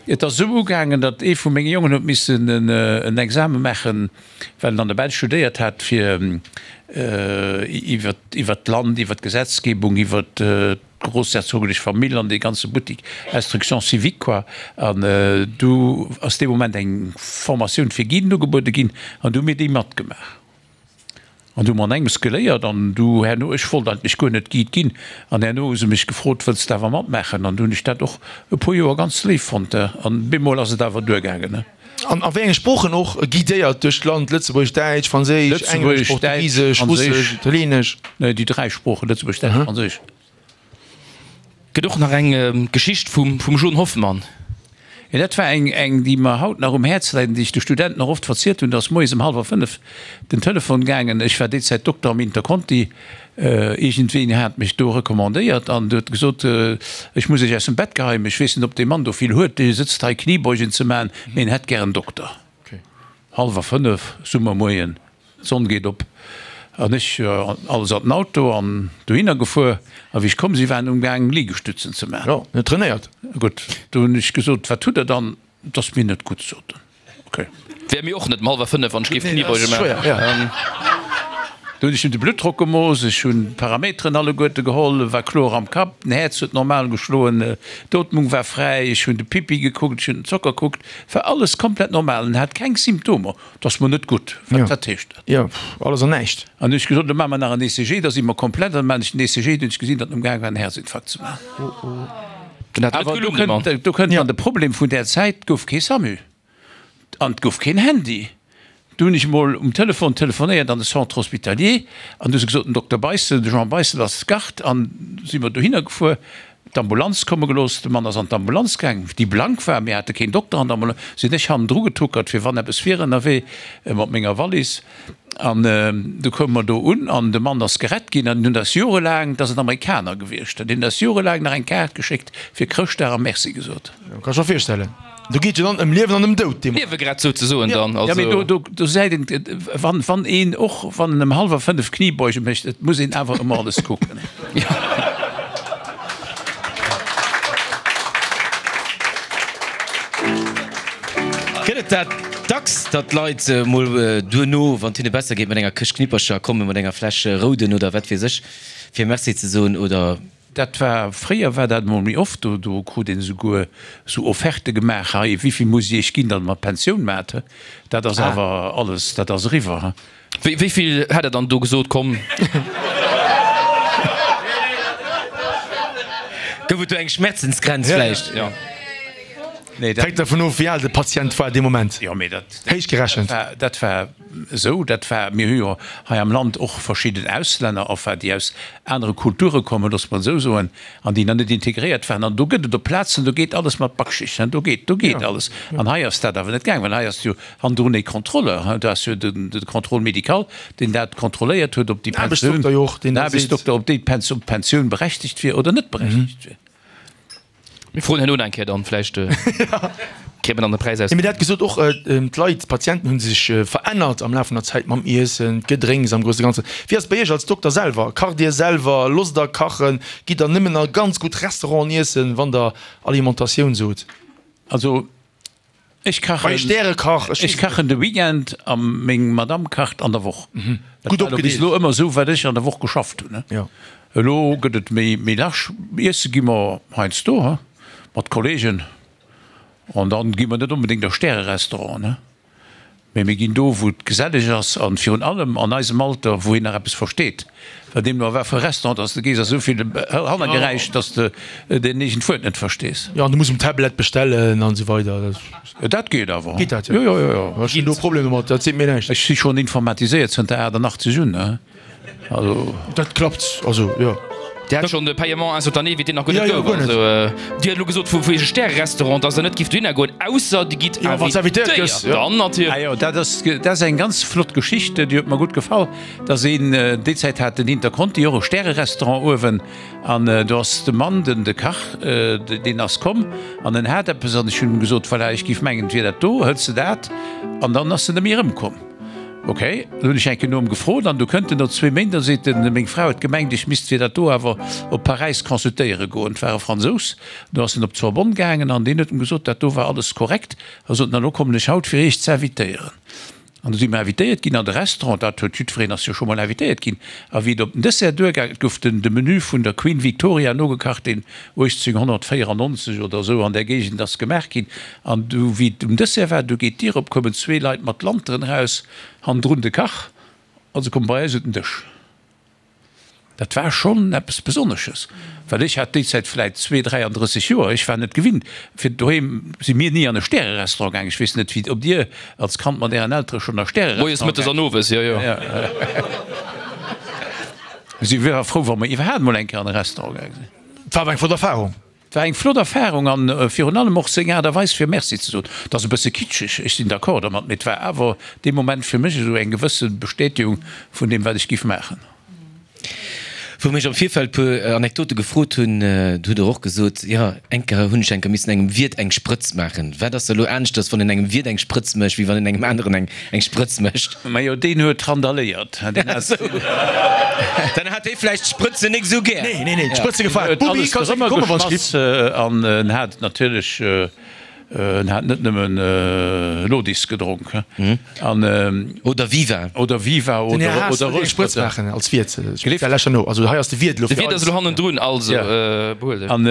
et ass esou ugaangen, datt ee vu menge Jongen huet missen en Exame maachen, well en an der Belsch studéiert hat, fir iwwer iwwer d'Land, iwwer d'Gesetzgebung, iwwer d'groussherzoglech Famill an dee ganze Buttik, Instruction civique quoi. An du ass dee Moment eng Formatioun fir Guiden ugebuede ginn an du hu mir déi matgemaach. An du hu mer an engems geléiert an du herno, ech wollt eigentlech guer net Guide ginn, an herno hu se mech gefrot, wëlls de awer matmaachen? An du hunn ech dat och e puer Joer ganz léif fonnt an bemol ass et awer duergaangen. An a wéi enge Sproochen och guidéiert duerch d'Land, Lëtzebuergesch, Däitsch, Franséisch, Englesch, Lëtzebuergesch, Däitsch, Portugisesch, Russesch, Franséisch. Italieenesch? Nee, déi dräi Sproochen, Lëtzebuergesch, Däitsch, Franséisch. Gëtt och nach eng Geschicht vum John Hoffmann. Jo, dat war eng, eng, déi mer haut nach um Häerz läit an déi ech de Studenten och oft verzielt hunn. Da ass moies ëm hallwer fënnef den Telefon gaangen. Ech war déi Zäit Dokter am Interconti. Iergendween hat mech do recommandéiert an huet gesot, Ech muss Iech aus dem Bett geheien, ech weess net, ob dee Mann do vill huet, dee sëtzt hei Kniebeugen ze maachen, mee en hätt gär en Dokter. Hallwer fënnef, Summermoien. D'Sonn geet op an ech alles an den Auto an dohinner gefuer. A wéi ech komm sinn, waren umgaang Liegestützen ze maachen. Jo, net trainéiert. Gutt, do hunn ech gesot, wat hutt der dann? Et ass mir net gutt, sot en. Ok. Wär mir och net um hallwer fënnef, wann ech géif Kniebeuge maachen. Do hunn ech him de Bluttdrock gemooss, ech hunn d'Parameteren alleguerte geholl, war kloer am Kapp, den Häerz huet normal geschloen, d'Ootmung war fräi, ech hunn de Pipi gekuckt, ech hunn den Zocker kuckt, war alles komplett normal, en hat keng Symptomer. 't ass mer net gutt. Wat, wat heescht dat? Jo, alles an näischt. An hunn ech gesot, lo maache mer nach en E C G, da si mer komplett. An da maachen ech den E C G, du hunn ech gesinn, datt en umgaang war en Häerzinfarkt ze maachen. Den hat net Awer do gelungen, de Mann. kënnt, do kënnt dann de Problem vun där Zäit, 't gouf kee SAMU an 't gouf keen Handy. Du hunn ech emol um Telefon telefonéiert an de Centre hospitalier an du hu se gesot, den Dokter Beissel, de Jean Beissel ass Garde an si mer dohinner gefuer. D'Ambulanz komme gelooss. De Mann ass an d'Ambulanz gaang, déi blank war. Mir hate keen Dokter an der Ambulanz. Sinn ech hannendru getuckert, fir wann eppes wier ënnerwee, mat menger Wallis. An du koume mer do un an de Mann ass gerett ginn. An hunn eis jorelaang, dat ass en Amerikaner gewiescht, an hunn eis jorelaang nach eng Kaart geschéckt fir Chrëschtdag a Merci gesot. Jo, kann ech mer virstellen. Do geet jo dann ëm Liewen an ëm Doud dee Moment. Liewe gerett souzesoen dann. Jo, mee Also. do, do säit een, wann, wann een, och wann en ëm hallwer fënnef Kniebeuge mécht, et muss een awer ëmmer alles kucken. Gëtt et dat dacks? dacks, datt d'Leit mol duerno, wann et hinne besser geet, mat enger Këscht Knippercher kommen, mat enger Fläsch Rouden oder wat weess ech, fir Merci ze soen, oder? Dat war, fréier war dat emol méi oft, do, do krut een esouguer esou Offerte gemaach, hei, wéivill muss ech iech ginn, datt der mer d'Pensioun maacht. Dat ass awer alles, dat ass eriwwer. Wéi, wéivill hätt der dann do gesot, komm? Gouf et do eng Schmerzensgrenz vläicht? Jo. Nee, dat. Hänkt dervun of, wéi al de Patient war dee Moment. Jo, mee dat. Héich gerechent. Dat war esou, dat war, mir hu jo hei am Land och verschidden Auslänner, enfin déi aus anere Kulture kommen, loosse mer et esou soen, an déi nach net integréiert waren. An do gëtt et op Plazen, do geet alles mat Backschicht, do geet, do geet alles. An hei ass dat awer net gaang, well hei ass jo hannendrun e Contrôleur, do ass jo de Contrôle médical, deen dat kontrolléiert huet, ob déi Pensioun, den Aarbechtsdokter, ob déi Pensioun berechtegt wier oder net berechtegt wier. Mir froen herno nach eng Kéier dann, vläicht kritt mer dann de Präis aus. Mee der hat gesot och, d'Leit, d'Patienten hu sech verännert am Laf vun der Zäit mam Iessen, d'Gedrénks am grousse Ganzen. Wéi ass et bei Iech als Dokter selwer? Kacht Dir selwer? Losst Der kachen? Gitt Der nëmmen a ganz gutt Restauranten iessen, wann Der Alimentatioun sot? Also Ech kachen, Bei Stärekach, ech ech kachen de Weekend a meng Madame kacht an der Woch. Dat Gutt war elo bis opgedeelt. elo ëmmer esou, wat ech an der Woch geschafft hunn. Jo. Elo gëtt et méi, méi large. Iesse gi mer heiansdo, he, mat Kollegen. An dann gi mer net onbedéngt a Stärerestauranten, he. Mee mir ginn do, wou et geselleg ass an virun allem an eisem Alter, wou een nach eppes versteet. Well deemno a wat fir e Restaurant dass de gees, ass esou vill Hannergeräisch, dass de deen eegent Wuert net verstees. Jo, an du muss um Tablet bestellen an esou weider. Dat geet awer. Geet dat, jo? Jo, jo, jo, jo. Ech hunn do Problemer domat, dat seet mir näischt. Ech si schonn informatiséiert zënter achtannachtzeg un, ne? Also. Dat klappt, also jo. Dir hat schonn de Paiement instantané, wéi deen nach guer net Jo, jo, gouf. guer net. Also, Dir hat elo gesot vu vu Iech Stärerestaurant, dass Der net gift dohinner goen, ausser Dir gitt Jo, wann s invitéiert gëss, invitéiert. jo. Dann natierlech. Ah jo, dat ass, dat ass eng ganz flott Geschicht, déi huet mer gutt gefall, dass een, déi Zäit hat den Interconti och e Stärerestaurant uewen an do ass de Mann, den, de Kach, deen ass komm an en hat eppes an ech hunn em gesot, voilà, ech giff mengen, et wier dat do, hëls de dat? An dann ass en net méi erëmkomm. Ok, dann hunn ech eng Kéier no em gefrot an du kënnt en no zwee Méint a seet en, meng Fra huet gemengt, ech misst fir dat do awer op Paräis consultéiere goen. Et war e Fransous. Du ass en op d'Sorbonne gaangen an deen huet em gesot, dat do war alles korrekt. A sot en, elo kommen ech haut fir iech ze invitéieren. An du si mer invitéiert ginn an de Restaurant, dat huet jiddwereen ass jo scho mol invitéiert ginn. A wéi et op den Dessert duergaang, et gouf den de Menü vun der Queen Victoria nogekacht, deen uechtzénghonnertvéierannonzeg oder esou an där Géigend ass gemaach ginn. An du wéi et um Dessert war, du geet d'Dier op, koumen zwee Leit mat Lanteren eraus, hannendrun de Kach, a se komme bei eis un den Dësch. Dat war schonn eppes Besonnesches, well ech hat déi Zäit vläit zwee, dräiandrësseg Joer, ech war net gewinnt, fir doheem si mir ni an e Stärerestaurant gaang. Ech weess net, wéi, ob Dir als Kand mat Ären Eltere schonn a Moies, Stärerestaurant mëttes an owes, jo, jo. Mir si ware frou, wa mer iwwerhaapt mol eng Kéier an e Restaurant gaang sinn. Et war awer eng flott Erfarung. Et war eng flott Erfarung an virun allem och seng Aart a Weis fir Merci ze soen. Et ass e bësse kitscheg, ech sinn d'accord dermat, mee et war awer dee Moment fir mech esou eng gewësse Bestätegung vun deem wat ech giff maachen. Wou mir iech am Virfeld puer Anekdote gefrot hunn, do hutt der och gesot, jo eng Kéier hunn ech eng Kéier missen engem Wiert eng Sprëtz maachen. Wat ass da lo aneschters, wann een engem Wiert eng Sprëtz mécht, wéi wann een engem aneren eng eng Sprëtz mécht? Majo, deen huet randaléiert. Deen hat. Dann hat dee vläicht d'Sprëtzen nik esou gär. Nee, nee, nee, d'Sprëtze gefalen. Huet Bubi, alles kanns dorëmmer komme wann s geschmass an en hat natierlech, en hat net nëmmen Lodis gedronk an. Oder Viva. Oder Viva Den Här oder Haas oder wëll eng Sprëtz Rosport. maachen als Wiert. Speziell lech herno. Also hei ass de Wiert elo De fir Wiert ass eis. elo hannendrun, also behuel dech. An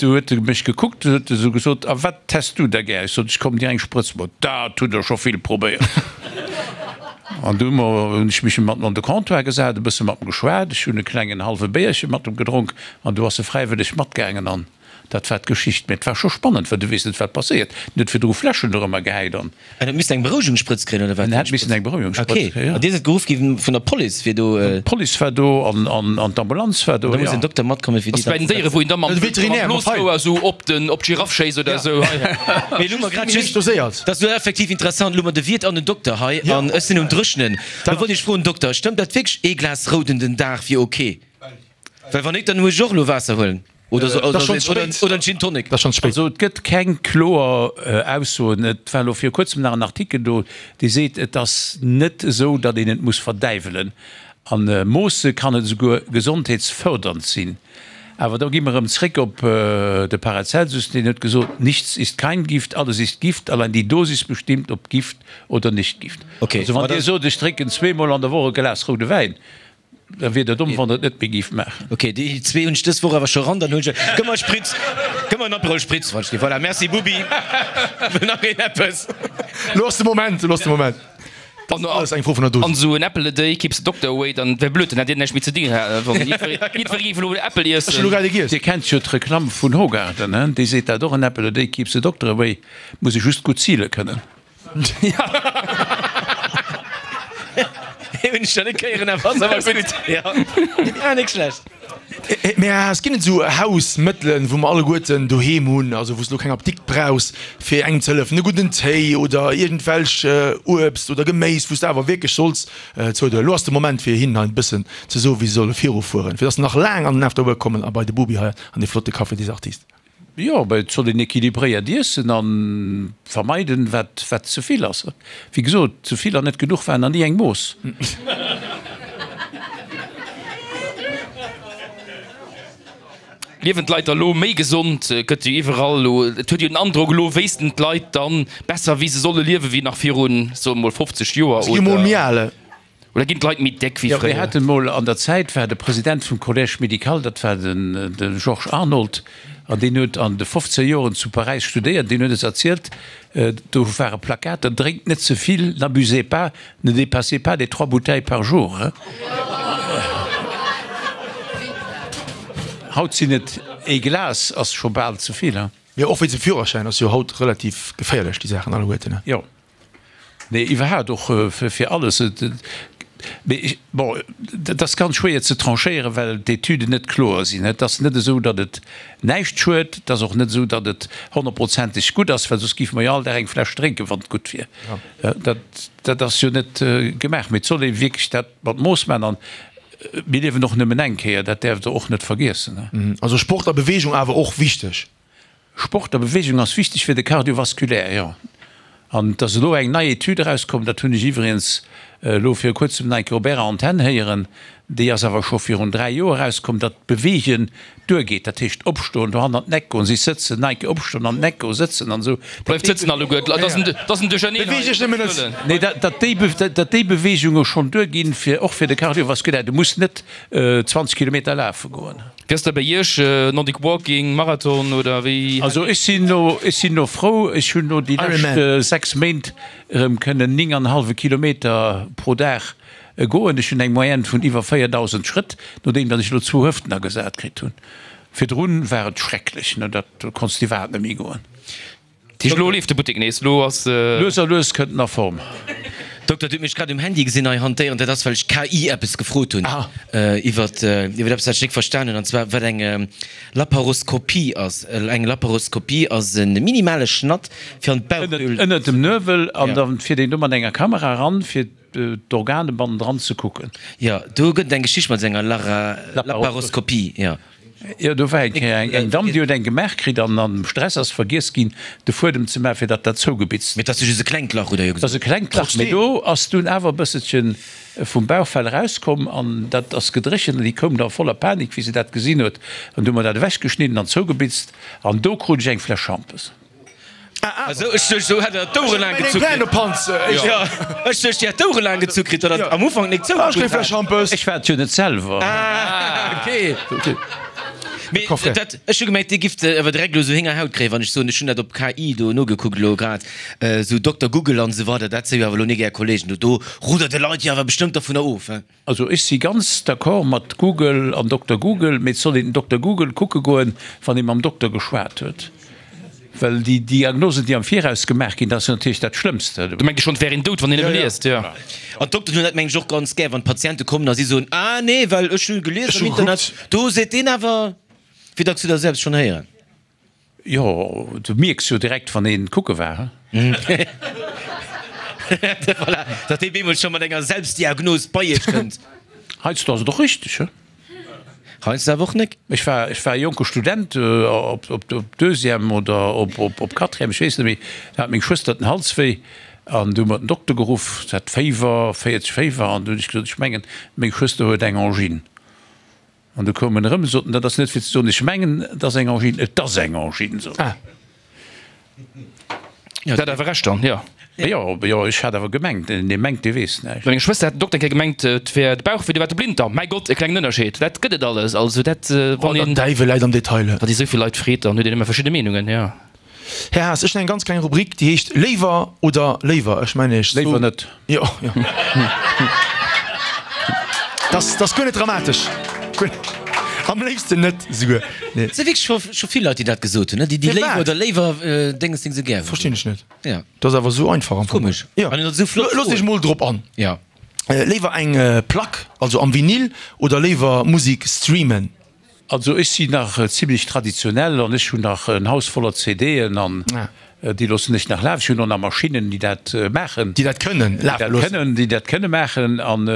du huet e mech gekuckt, du huet e sou gesot, A wat häss du da gär? Ech sot, Ech komm dir eng Sprëtz maachen. Dat hutt der scho vill probéiert. An du hunn ech mech mat em an de Comptoir gesat, e bësse mat em geschwat, ech hunn e klengen hallwe Béierche mat em gedronk an du ass e fräiwëlleg matgaangen an dat war d'Geschicht. Mee et war scho spannend, well du weess net, wat passéiert. En huet virdru Fläschen dorëmmer gehäit an. En huet missen eng Berouegungssprëtz kréien, oder wat? En hätt missen eng Berouegungssprëtz Okay. kréien, jo. An Dir sidd geruff gi vun der Police, fir do. D'Police war do an an d'Ambulanz war do, Da muss jo. en Dokter matkommen, fir déi Ass bei dann den ze Déiere, wou een da mam De Veterinär mam mat Feil. Blosrouer esou op den op d'Giraff schéisst oder esou. Mee elo mer grad Just just. doséiert. Dat ass elo effektiv interessant. Elo hu mer de Wiert an den Dokter hei an ech sinn um Dréchnen. Da wollt ech froen, Dokter, stëmmt dat wierklech, ee Glas Rouden den Dag wier ok? Well wann nik, dann muss ech och elo Waasser huelen. Oder so, oder, oder, oder en Gin Tonic. Dat ass schonn spéit. Also et gëtt keng kloer Aussoen. Et war elo viru kuerzem nach en Artikel do, dee seet, et ass net esou, datt een et muss verdäiwelen. A Moosse kann et esouguer gesondheetsfërdernd sinn. Awer da gi mer erëm zréck op de Paracelsus, deen huet gesot, Nichts ist kein Gift, alles ist Gift, allein die Dosis bestimmt, ob Gift oder nicht Gift. Also wann Dir sot, ech drénken zweemol an der Woch e Glas roude Wäin, da wier Der domm, wann Der et net méi gift maachen. Ok, déi zwee hunn ech dës Woch awer scho ran, dann hunn ech, gëmm mer e Spritz, gëmm mer en Aperol Spritz, wann ech dee, voilà, merci Bubi. Wëll nach een eppes? Lo ass de Moment, lo ass de Moment. An Alles eng Fro vun der Dosis. An esou en Apple a day keeps the doctor away, dann wär blöd, dann hätt dir näischt méi ze dinn, wann jiddweree géif elo en Äppel Ech hu lo iessen. grad ee giess. Dir kennt jo d'Reklamm vun Hoegaarden, he? Déi seet dat och, An apple a day keeps the doctor away. Muss ee just gutt zile kënnen. Deen hunn ech nach net héieren, awer ass awer gutt. Jo, ah, nik schlecht. Mä es ginn et esou Hausmëttelen, wou mer alleguerten doheem hunn, also wou s de elo keng Apdikt brauchs, fir engem ze hëllefen, e gudden Téi oder iergendwelch Uebst oder Geméis, wou s de awer wierklech solls zoudoen. Elo ass de Moment, fir hinnen hei e bëssen ze soen, wéi se solle virufueren, fir dass se nach laang an den After Work kommen a bei de Bubi hei an dee flotte Café des Artistes. Jo, mä et soll een équilibréiert iessen a vermeiden, wat wat ze vill ass. Wéi gesot, ze vill an net genuch waren nach ni eng Mooss. Liewen d'Leit da lo méi gesond? Et gëtt jo iwwerall elo, et huet jo den Androck, elo wéissten d'Leit dann besser, wéi se solle liewen, wéi nach virun, soe mol, fofzeg Joer, Se gi mol oder? méi al. Oder ginn d'Leit méi déck wéi Jo, mir fréier? haten mol an der Zäit, war de President vum Collège médical, dat war den de Georges Arnold, an deen huet an de fofzeger Joren zu Paräis studéiert, deen huet eis erzielt, do ware Plakater, Drénkt net ze vill, n'abusez pas, ne dépassez pas les trois bouteilles par jour. Haut sinn et ee Glas ass scho bal ze vill. Jo, och wéinst dem Führerschäin ass jo haut relativ geféierlech, déi Saachen alleguerten. Jo. Nee, iwwerhaapt och fir alles. Mee bon, dat ass ganz schwéier ze tranchéieren, well d'Etüden net kloer sinn. Et ass net esou, datt et näischt schued. Et ass och net esou, datt et honnertprozenteg gutt ass, well soss géife mer jo all Dag eng Fläsch drénken, wann et gutt wier. Dat, dat ass jo net gemaach. Mee et soll ee wierklech dat mat Mooss maachen. An mir liewen och nëmmen eng Kéier, dat däerft Der och net vergiessen. Also Sport a Beweegung awer och wichteg. Sport a Beweegung ass wichteg fir de Cardiovasculaire, jo. An et ass elo eng nei Etüd erauskomm, dat hunn ech iwwregens elo viru kuerzem nach eng Kéier op Ärer Antenn héieren, déi ass awer scho virun dräi Joer erauskomm, datt Beweegen duergeet, dat heescht opstoen, dohannen an d'Eck goen, sich sëtzen, nach eng Kéier opstoen, an d'Eck goen, sëtzen an esou. Bleift sëtzen alleguer, dat ass en Duercherneen hei. Nee, datt déi, datt déi Beweegunge schonn duerginn, fir och fir de Cardiovasculaire. Du muss net zwanzeg Kilometer lafe goen. Wéi ass dat bei Iech, Nordic Walking, Marathon oder wéi? Also ech sinn elo, ech sinn elo frou, ech hunn elo déi lescht sechs Méint erëm kënnen néng an e hallwe Kilometer pro Dag goen. Ech hunn eng Moyenne vun iwwer véierdausend Schrëtt, nodeem datt ech elo zwou Hëften agesat kritt hunn. Virdrun war et schrecklech, ne, dat do konns de iwwerhaapt net méi goen. Tisch, Lo leeft de Buttek nees, lo ass. Lues a lues kënnt en a Form. Dokter, Dir hutt mech grad um Handy gesinn hei hantéieren. Dat ass, well ech d'K I eppes gefrot hunn iwwert iwwert eppes, wat ech nik verstan hunn, an zwar wat eng Laparoskopie ass. Eng Laparoskopie ass e minimale Schnatt fir an d'Bauchhöhl. Ënnert dem Nuewel, an da fiert een do mat enger Kamera eran, fir d'Organe bannendran ze kucken. Jo, do gëtt et eng Geschicht mat enger Laparoskopie, jo. Jo, do war eng Kéier eng Damm, déi huet eng gemaach kritt an am Stress ass vergiess ginn, de Fuedem ze maachen, fir datt dat zougebitzt. Mee et ass jo just e klengt Lach, hutt Der jo gesot. Et ass e klengt Lach, mee do ass dunn awer e bësselche vum Bauchfell erauskomm an dat ass gedréchent an déi koum da voller Panik, wéi se dat gesinn huet. An du hu mer dat ewechgeschnidden an zougebitzt an do krut ech eng Fläsch Schampes. Esou, ech duecht, esou hätt der d'Ouere laang gezu kritt. Jo, ech duecht, Dir hätt d'Ouere laang gezu kritt, datt der am Ufank nik zougegutt hat. Ech war et jo net selwer. Ah, okay. Mee dat, ech hu gemengt, Dir gifft awer direkt elo esou Héngerhaut kréien, wann ech soen, ech hunn dat op K I do nogekuckt elo grad, esou Dokter Google an esou weider, dat si jo awer elo nik Är Kollegen do. Do ruddert de Leit jo awer bestëmmt dervunner of, he? Also ech si ganz d'accord mat Google an Dokter Google, mee et soll een den Dokter Google kucke goen, wann ee mam Dokter geschwat huet. Well déi Diagnosen, déi am Viraus gemaach ginn, dat ass jo natierlech dat Schlëmmste. Do mengt ee schonn, et wär een dout, wann een nëmme liest, jo. An d'Dokteren hunn dat, mengen ech, och ganz gär, wann d'Patiente kommen a si soen, Ah nee, well ech hu gelies am Internet, do seet deen awer. Wéi dacks hutt Der selbst schonn héieren? Jo, du mierks jo direkt, wann een kucke war. Voilà, datt dee bemol scho mat enger Selbstdiagnos bei Iech kënnt. Heiansdo ass et och richteg, he? Heiansdo awer och nek. Ech war, ech war e jonke Student, op, op, op Deuxième oder op, op, op Quatrième, ech weess net méi, da hat meng Schwëster den Hals wéi an du hu mer den Dokter geruff, se hat Féiwer, véierzeg Féiwer, an du hunn ech gesot, ech mengen, meng Schwëster huet eng Angine. An du koum en erëm, sot en, dat ass net fir ze soen, ech mengen, et ass eng Angine, et ass eng Angine, sot en. Jo, dat awer Recht dann, jo. Jo, jo, ech hat awer gemengt, dee mengt, dee weess näischt. Meng Schwëster hat den Dokter eng Kéier gemengt, et wär de Bauchwéi, do war de Blinddarm. Mäi Gott, e klengen Ënnerscheed, dat gëtt et alles. Also dat, wann een. Der Däiwel läit am Detail. Wann ee sou vill Leit freet, dann huet een ëmmer verschidde Meenungen, jo. Här Haas, ech hunn eng ganz kleng Rubrik, déi heescht Léiwer oder léiwer. Ech mengen Iech. Léiwer net. Jo, jo. Dat ass guer net dramatesch. Am léifsten net esouguer. Nee. Et si wierklech scho scho vill Leit, déi dat gesot hunn, ne? Déi déi Léiwer oder léiwer Dénges Ding sou gär hunn. Verstinn ech net. Ja. Dat ass awer esou einfach am Fong. Komesch. Ja. An esou flott. Looss iech mol drop an. Ja. Léiwer eng Plack, also am Vinyl, oder léiwer Musik streamen? Also ech sinn nach zimlech traditionell an ech hunn nach en Haus voller CDen an déi loossen ech nach lafen. Ech hunn och nach Maschinnen, déi dat maachen. Déi dat kënnen lafe loossen. Déi dat kënne maachen. An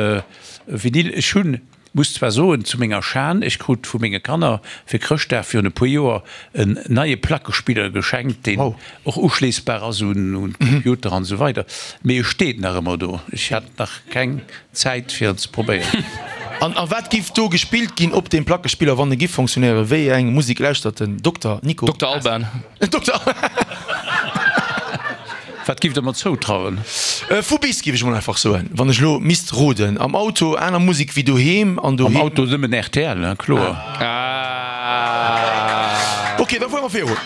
Vinyl, ech hunn, muss zwar soen, zu menger Schan, ech krut vu menge Kanner fir Chrëschtdag virun e puer Joer en neie Plackespiller geschenkt, deen och uschléissbar ass un Computer an esou weider, mee e steet nach ëmmer do. Ech hat nach keng Zäit fir en ze probéieren. An a wat giff do gespillt ginn op deem Plackespiller, wann e giff fonctionnéieren? Wéi eng Musik lauschtert den Dokter Nico Dokter Alban. Dokter. Wat giff der mer zoutrauen? Vu bis, giff ech mol einfach soen, wann ech elo misst roden. Am Auto aner Musik wéi doheem an doheem. Am Auto nëmmen rtl, hein, kloer. Ok, da fuere mer virun.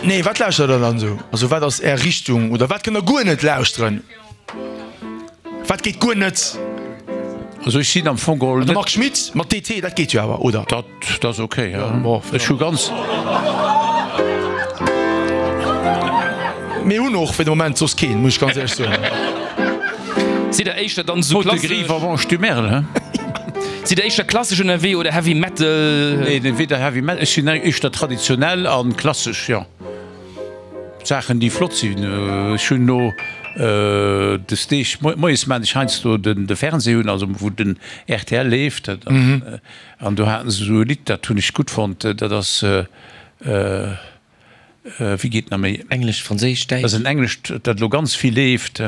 Nee, wat lauschtert der dann esou? Also wat ass är Richtung oder wat kënnt der guer net lauschteren? Wat geet guer net? Also ech sinn am Fong geholl net. De Marc Schmitt mat D T, dat geet jo awer, oder? Dat ass ok, jo. Ech hu ganz. Mir hunn och fir de Moment soss keen, muss ech ganz éierlech soen. Sidd der éischter dann esou klassesch. Haute Griffe avant du Merle, hein? Sidd der éischter klassesch ënnerwee oder Heavy Metal? Nee, weder Heavy Metal, ech sinn éischter traditionell an klassesch, jo. Saachen déi flott sinn. Ech hunn no des Deeg, moies maan ech heiansdo de Fernseh un, also wou den rtl leeft, an do haten se esou e Lidd, dat hunn ech gutt fonnt, dat ass, wéi geet nach méi? Englesch, Franséisch, Däitsch? Dat ass en englescht, dat elo ganz vill leeft.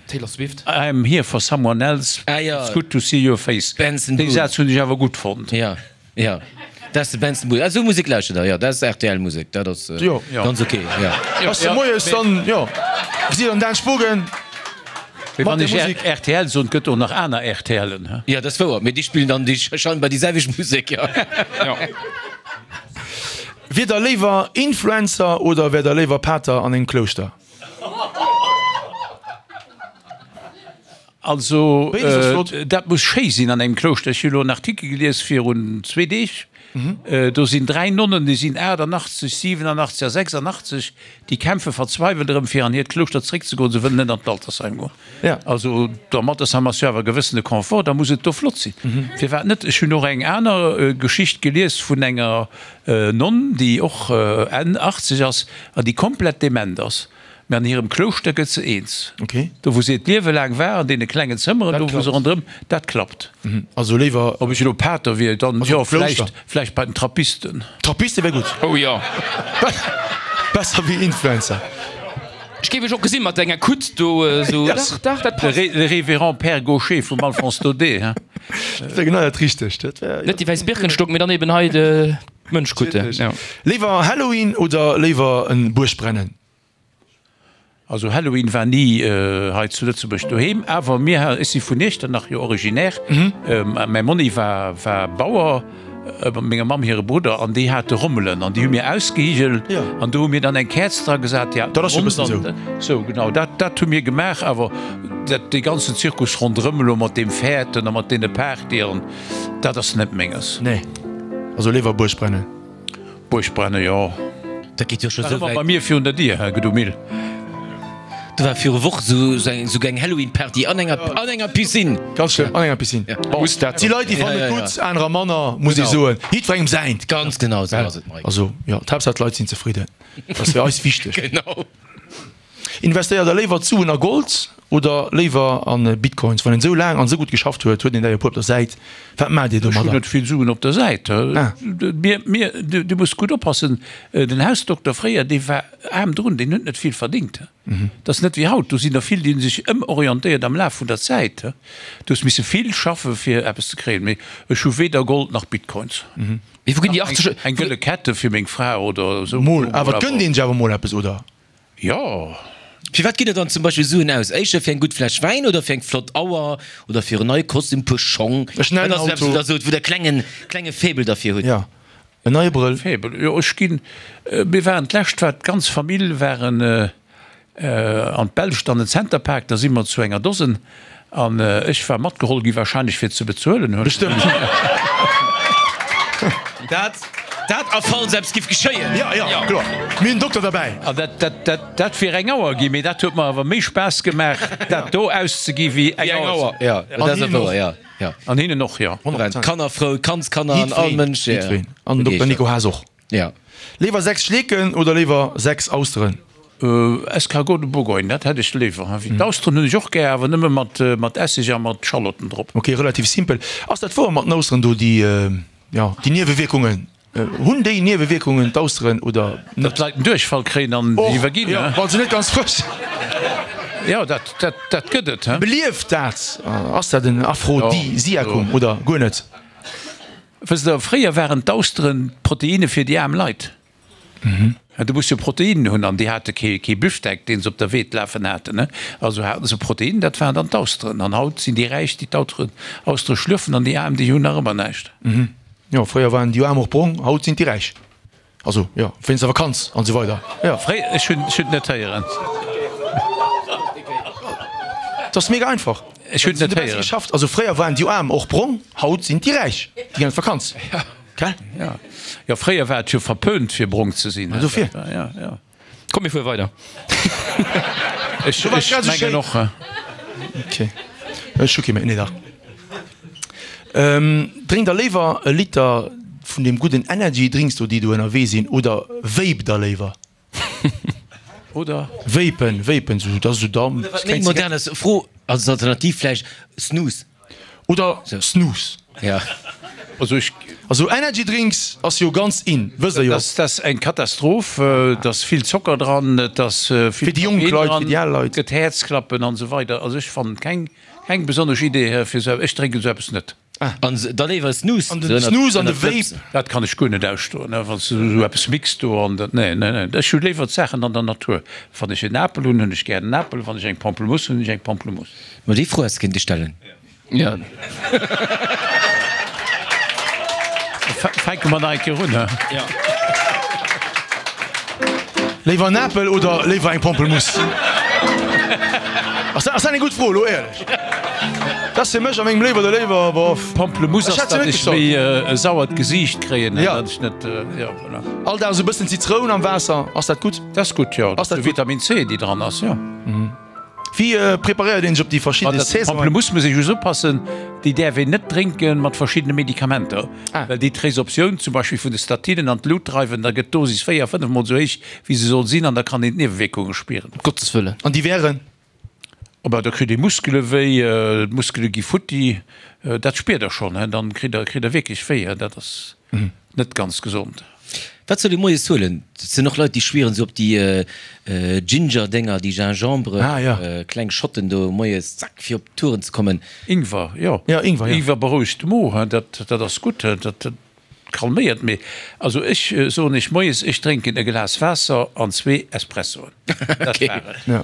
Taylor Swift? I'm here for someone else, it's good to see your face. Dee Saz hunn ech awer gutt fonnt. Jo, dat ass de Benson Boone. Esou Musek lauschtert der, jo, dat ass R T L Musek, dat ass ganz ok, jo. Ass de moies dann, jo, gesitt an Dan Spogen Mee wann ech R T L soen, et gëtt och nach aner R T L'en, he? Jo, dat ass wouer, mee déi spillen dann déi scheinbar déi selwecht Musek, jo. Wier der léiwer Influencer oder wär der léiwer Pater an engem Klouschter? Also, dat muss schéi sinn an engem Klouschter. Ech hu elo en Artikel gelies virun zwee Deeg, do sinn dräi Nonnen, déi sinn aachtannachtzeg, siwenannachtzeg a sechsannachtzeg, déi kämpfe verzweiwelt erëm, fir an hiert Klouschter zeréckzegoen. Se wëllen net an d'Altersheim goen. Also, am Altersheim ass jo awer e gewëssene Confort, da muss et do flott sinn. Firwat net? Ech hunn och eng aner Geschicht gelies vun enger Nonn, déi och Enn achtzeg ass an déi komplett dement ass. Mä an hirem Klouschter gëtt se eens. Do wou se hiert Liewe laang war, an deene klengen Zëmmeren, do wou se ronderëm, dat klappt. Also léiwer. Ob ech elo Pater wier, dann jo, vläicht, vläicht bei den Trappisten. Trappiste wär gutt. Oh jo. Besser wéi Influencer. Ech géif iech och gesinn mat enger Kutt do esou. Dach, dach, dat passt. Le Révérend Père Gaucher vum Alphonse Daudet, hein. Dat wär genau dat Richtegt. Dat wär, jo. Net déi wäiss Birkenstock, mee dann eben hei d'Mönchkutte, jo. Léiwer Halloween oder léiwer en Buergbrennen? Also Halloween war ni hei zu Lëtzebuerg doheem, awer mir, ech si vun Iechternach jo originaire, mäi Monni war war Bauer, menger Mamm hire Brudder, an déi hate Rommelen an déi hu mir ausgehigelt an do hu mir dann eng Käerz dra gesat, déi haten ronn an esou, genau dat dat hu mir gemaach. Awer dat dee ganzen Zirkus ronderëm elo mat deem Fäerten a mat deene Partyen, dat ass net menges. Nee, also léiwer Buergbrennen. Buergbrennen, jo. Dat geet jo scho sou wäit. Bei mir virun der Dier, Här Gedomil. Do war viru Woche sou eng Halloween-Party an enger an enger Piscine. Ganz schlëmm, an enger Piscine. Bon, et si Leit, déi fannen et gutt, anerer manner, muss ee soen. Jiddwerengem säint. Ganz genau esou ass et, Mike. Also, jo, d'Haaptsaach d'Leit sinn zefridden. Dat ass fir eis wichteg. Genau. Investéiert der léiwer d'Suen a Gold oder léiwer a Bitcoins? Wann een esou laang an esou gutt geschafft huet, huet een der jo e puer op der Säit. Wat maacht Dir Ech hunn domadder? net vill Suen op der Säit. Mir, mir, du muss gutt oppassen, den Hausdokter fréier, dee war aarm drun, deen huet net vill verdingt. Dat ass net wéi haut, do sinn der vill, déi hu sech ëmorientéiert am Laf vun der Zäit. Du hues misse vill schaffe fir eppes ze kréien. Mee ech hu weder Gold nach Bitcoins. Mee wou ginn déi achtzeg. Eng gëlle Kette fir meng Fra oder esou. Mol, awer et gënnt een sech awer mol eppes, oder? Jo. Fir wat gitt der dann zum Beispill Suen aus? Éischter fir eng gutt Fläsch Wäin oder fir eng flott Auer oder fir en neie Kostüm, puer Schong? E schnellen Wat ass eppes, Auto. wou der sot, wou der klengen, klenge Faible derfir hutt? Jo, en neie Brëll. Faible, jo ech ginn, mir waren d'lescht war d'ganz Famill waren an d'Belscht an den Center Parc, da si mer zu enger Dosen an ech war matgeholl gi wahrscheinlech fir ze bezuelen. Bestëmmt. Dat, dat a falls eppes giff geschéien. Jo, jo, kloer. Mir hunn den Dokter derbäi. An dat, dat, dat, dat wier eng Auer gi, mee dat huet mer awer méi Spaass gemaach dat do auszegi wéi eng Auer. Jo, dat ass wouer, jo, jo. An hinnen och, jo. Honnert Prozent. Kanner frou, Kandskanner an all Jiddwereen, Mënsch, jo. jiddwereen. An den Dokter Nico Haas och. Jo. Léiwer sechs Schleeken oder léiwer sechs Austeren? Escargot de Bourgogne, dat hätt ech léiwer. D'Austeren hunn ech och gär, awer nëmme mat mat Esseg a mat Schallotten drop. Ok, relativ simpel. Ass dat wouer mat den Austeren do, déi, jo, déi Niewewierkungen? Hunn déi Niewewierkungen, d'Austeren, oder net? Datt d'Leit en Duerchfall kréien an Och, iwwerginn, jo, wa se net ganz frësch sinn. Jo, dat, dat, dat gëtt et, he. Belieft dat? Ass dat en Aphrodisiakum oder guer net? Wësst Der, fréier waren d'Austeren d'Proteine fir déi aarm Leit. Du muss jo Proteinen hunn, an déi hate kee, kee Büftek, deen se op der Weed lafen haten. Also haten se Proteinen, dat waren dann d'Austeren. An haut sinn déi Räich, déi d'Austeren, Austere schlürfen, an déi Aarm, déi hunn nach ëmmer näischt. Jo, fréier waren déi Aarm och brong, haut sinn déi Räich. Also, jo, wéinst der Vakanz an esou weider. Jo. Fréi, ech hunn, ech hunn et net héieren. Et ass mega einfach. Ech hunn et net héieren. Geschafft. Also fréier waren déi Aarm och brong, haut sinn déi Räich, déi ginn an d'Vakanz. Gell? Jo, jo, fréier war et jo verpönt fir brong ze sinn. Dofir. Jo, jo. Komm mir fuere weider. Ech, ech mengen och. Ok, ech hu kee méi. Nee, dach. Drénkt der léiwer e Liter vun deem gudden Energy Drinks do, déi do ënnerwee sinn, oder vape der léiwer? Oder? Vapen, vapen, sou, dat ass esou Damp. Oder wat méi modern ass, Fro als Alternativ vläicht, Snus. Oder Snus. Ja. Also ech. Also Energy Drinks ass jo ganz in, wësst der jo. Dat ass eng Katastroph, et ass vill Zocker dran, et ass vill Fir déi jonk Koffein Leit, dran, fir déi al Leit. gëtt Häerzklappen an esou weider. Also ech fannen keng keng besonnesch Idee fir esou, ech drénken esou eppes net. An da léiwer Snus. An den Snus an de Vape. Dat kann ech guer net ausstoen, wann s du esou eppes mixt do an dat, nee, nee, nee. Ech hu léiwer d'Saachen an der Natur. Wann ech en Apel hunn, hunn ech gär en Apel, wann ech eng Pamplemousse hunn, hunn ech eng Pamplemousse. Ma déi Fro häss de kéinte stellen. Ja. Fänke mer nach eng Kéier un, he? Ja. Léiwer en Apel oder léiwer eng Pampelmousse? Ass dat eng gutt Fro, elo éierlech? Dat ass fir mech a mengem Léiwer oder léiwer, bof. Pamplemousse Ech ass, hätt se datt net ech gestallt. méi e sauert Gesiicht kréien, Ja. datt ech net, jo, voilà. All Dag esou e bëssen Zitroun am Waasser, ass dat gutt? Dat ass gutt, jo. Ass dat gutt? Vitamin C, déi dran ass, jo. Wéi preparéiert een sech op déi verschidde Saisonen? Pamplemousse muss ee just oppassen, déi däerf een net drénke mat verschiddene Medikamenter, well déi d'Resorptioun zum Beispill vun de Statinen an d'Lut dreiwen. Da gëtt d'Dosis véier, fënnef mol esou héich, wéi se soll sinn, an da kann een d'Niewewierkunge spieren. Um Gottes Wëllen. An déi wären? Oh ben, da kritt ee Muskele wéi, d'Muskele gi futti, dat spiert der schonn, dann kritt der kritt der wierklech wéi, dat ass net ganz gesond. Wat soll ee moies huelen? Et sinn och Leit déi schwieren esou op déi Ginger-Dénger, déi Gingembre, kleng Schotten do moies, zack, fir op d'Touren ze kommen. Ingwer, jo. Ja, Ingwer, jo. Ingwer berouegt de Mo, dat dat ass gutt, dat calméiert. Mee also ech soen iech moies, ech drénken e Glas Waasser an zwee Espressoen. Dat war et. Ja.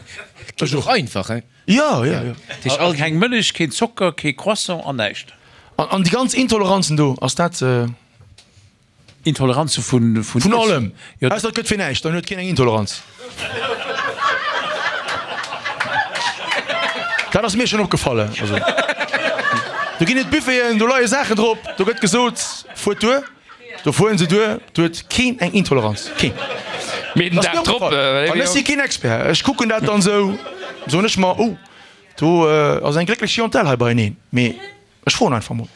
Geet och einfach, hein? Jo, jo, jo. A keng Mëllech, keen Zocker, kee Croissant an näischt. An an déi ganz Intoleranzen do, ass dat. Intoleranze vun. Vun allem! Jo. Ausser et gëtt fir näischt, dann huet keen eng Intoleranz. Dat ass mir schonn opgefallen. Also, do ginn et Buffeten, do leie Saachen drop, do gëtt gesot, fuert duer, do fueren se duer, do huet keen eng Intoleranz. Keen. Mee den Dat ass Dag mir drop. opgefallen. An ech si keen Expert. Ech kucken dat dann esou, soen ech mer, oh, do ass eng glécklech Clientèle hei beieneen. Mee ech froen einfach mol.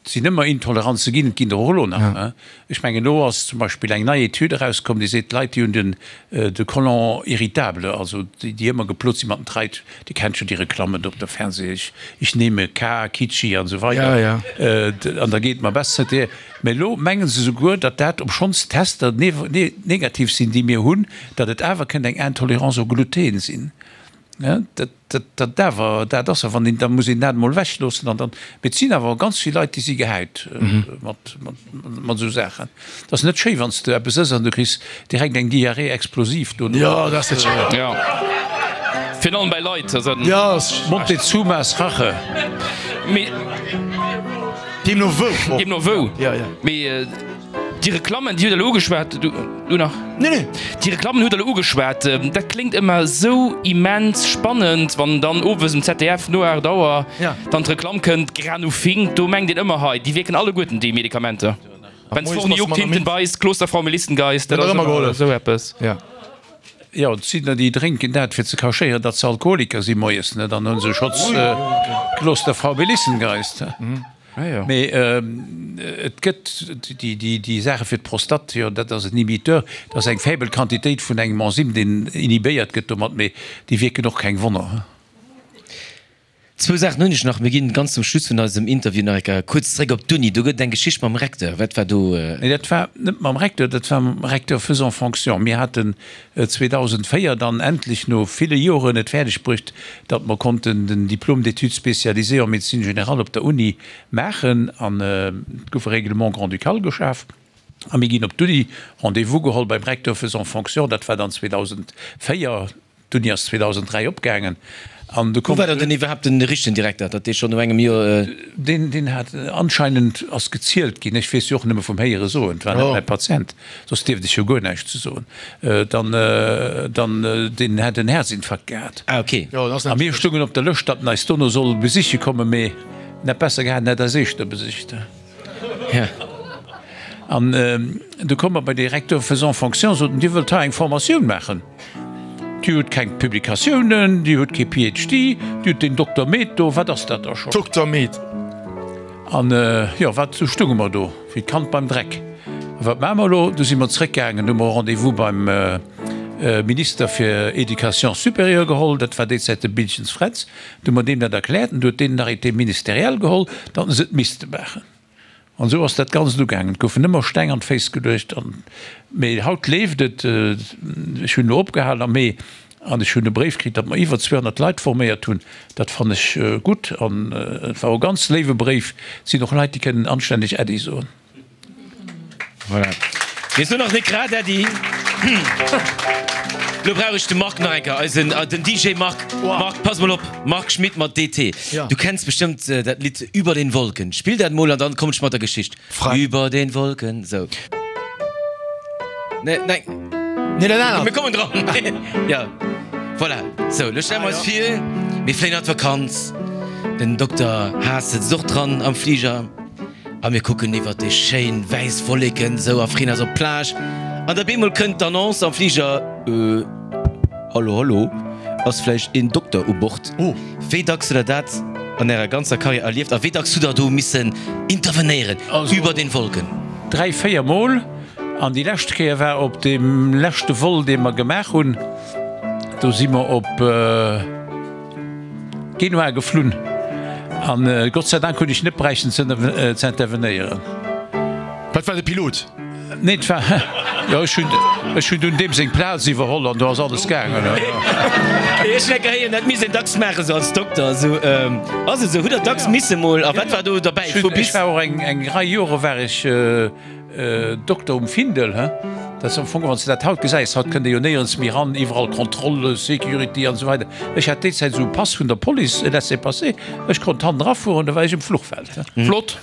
sinn ëmmer Intoleranze ginn, et ginn der och elo nach. Ech mengen, elo ass zum Beispill eng nei Etüd erauskomm, déi seet, d'Leit, déi hunn den, de Colon irritable, also déi, déi ëmmer geplot si mat den Treit, Dir kennt jo déi Reklammen do op der Fernseh, ich, ich nehme K, Kitschi an esou weider, an da geet et mer besser. Mä elo menge se souguer, datt dat, obschonns d'Tester negativ sinn, déi mir hunn, datt et awer kënnt eng Intolérance au gluten sinn. Dat awer, dat ass awer, wann een, da muss een dat emol ewechloossen an dann, mee et sinn awer ganz vill Leit, déi si gehäit mat, mat esou Saachen. Et ass net schéi, wann s de eppes ëss an du kriss direkt eng Diarrhée explosive dono. Jo, dat ass net schéi. Jo, virun allem bäi Leit. Jo. Montezumas Rache. Mee. Deemno wou och. Deemno wou. Jo, jo. Mee. Déi Reklammen, déi hutt Der elo ugeschwat, du nach? Nee, nee. Déi Reklammen hutt Der elo ugeschwat. Dat kléngt ëmmer esou immens spannend, wann dann owes um Z D F no aacht Auer dann d'Reklamm kënnt, Granufink, do mengt een ëmmer, hei, déi wierken alleguerten, déi Medikamenter. Wenn's vorne juckt, hinten beißt, Klosterfrau Melissengeist, dat ass ëmmer esou eppes. Jo, et sinn der, déi drénken dat, fir ze cachéieren, datt se Alkoholiker si moies, ne? Dann hu se schotz Klosterfrau Melissengeist. Mee et gëtt déi Saache fir d'Prostate, jo, dat ass en Inhibiteur, dat ass eng faible Quantitéit vun engem Enzym, deen inhibéiert gëtt domat, mee déi wierken och keng Wonner. Zwou Saachen hunn ech nach. Mir ginn ganz zum Schluss vun eisem Interview nach eng Kéier kuerz zréck op d'Uni. Do gëtt et eng Geschicht mam Recteur. Wat war do? Nee, dat war net mam Recteur, dat war mam Recteur faisant fonction. Mir haten zweedausendvéier dann endlech no ville Joren et fäerdeg bruecht, datt mer konnten den Diplôme d'études spécialisées en médecine générale op der Uni maachen an et gouf e Règlement grand-ducal geschaf a mir ginn op d'Uni, Rendez-vous geholl beim Recteur faisant fonction, dat war dann zweedausendvéier, d'Uni ass zweedausendräi opgaangen an du Wou war dann den iwwerhaapt den richtegen Direkter, datt dee schonn no engem Joer. Deen, deen hat anscheinend, ass gezielt ginn, ech weess jo och nëmme vum Héiere soen, et war net mäi Patient, soss dierft ech jo guer näischt ze soen, dann, dann, deen hätt en Häerzinfarkt gehat. Ah, okay. A mir stungen op der Lëscht, datt en eis dono soll besiche kommen, mee en hätt besser gehat, en hätt eis éischter besicht. An du komme mer bei de Recteur faisant fonction, sot en, Dir wëllt hei eng Formatioun maachen? Dir hutt keng Publikatiounen, Dir hutt kee P H D, Dir hutt deen Dokter Med do, wat ass dat da schonn? Dokter Med. An jo, wat, du stunge mer do wéi d'Kand beim Dreck. A wat maache mer elo? Du si mer zréckgaangen, hu mer e Rendez-vous beim Minister fir Éducation supérieure geholl, dat war déi Zäit de Biltgens Fränz, du hu mer deem dat erkläert an du huet deen en Arrêté ministériel geholl, datt se et misste maachen. An esou ass dat Ganzt ugaangen. Et goufen ëmmer Steng an d'Féiss geluecht. An, mee haut leeft et. Ech hunn elo opgehalen am Mee an ech hunn e Bréif kritt, datt mer iwwer zweehonnert Leit forméiert hunn. Dat fannen ech gutt an et war och e ganz léiwe Bréif. Et sinn och Leit, déi kënnen anstänneg Äddi soen. Voilà. Mir soen nach net grad Äddi. Lo brauch ech de Marc nach eng Kéier, eisen, den D J Marc. Marc, pass mol op, Marc Schmitt mat D T. Du kenns bestëmmt dat Lidd Über den Wolken. Spill dat mol an dann kommen ech mat der Geschicht. Über den Wolken, sou. Nee, nee. Nee, dat anert. Mir kommen dran. Ja, voilà. Sou, lo stelle mer eis vir, mir fléien an d'Vakanz. Den Dokter Haas sëtzt och dran am Fliger. A mir kucken iwwert déi schéin wäiss Wolleken esou a freeën eis op d'Plage. An da bemol kënnt d'Annonce am Fliger, Äh, hallo, hallo, ass vläicht een Dokter u Bord? Wéi dacks hutt der dat an ärer ganzer Karriär erlieft a wéi dacks hutt der do missen intervenéieren über den Wolken? Dräi, véier Mol. An déi lescht Kéier war op deem leschte Vol, dee mer gemaach hunn. Do si mer op. Genua geflunn an Gott sei Dank hunn ech net bräichten ze intervenéieren. Wat war de Pilot? Nee, et war, jo, ech hunn, ech hunn dunn deem seng Plaz iwwerholl an do ass alles gaangen. Ech mengen héieren, dat misst een dacks maachen esou als Dokter esou. Ass et esou? Hutt Der dacks misse mol, a wat war do derbäi? Ech hunn, ech war och eng, eng Rei Jore war ech Dokter um Findel, he? Dat ass am Fong, wann s de dat haut gesäis, haut kënnt ee jo néierens méi eran, iwwerall Kontrolle, Security an esou weider. Ech hat déi Zäit esou e Pass vun der Police, e Laissez-passer, ech konnt hannen erafueren, da war ech um Fluchfeld, he? Flott!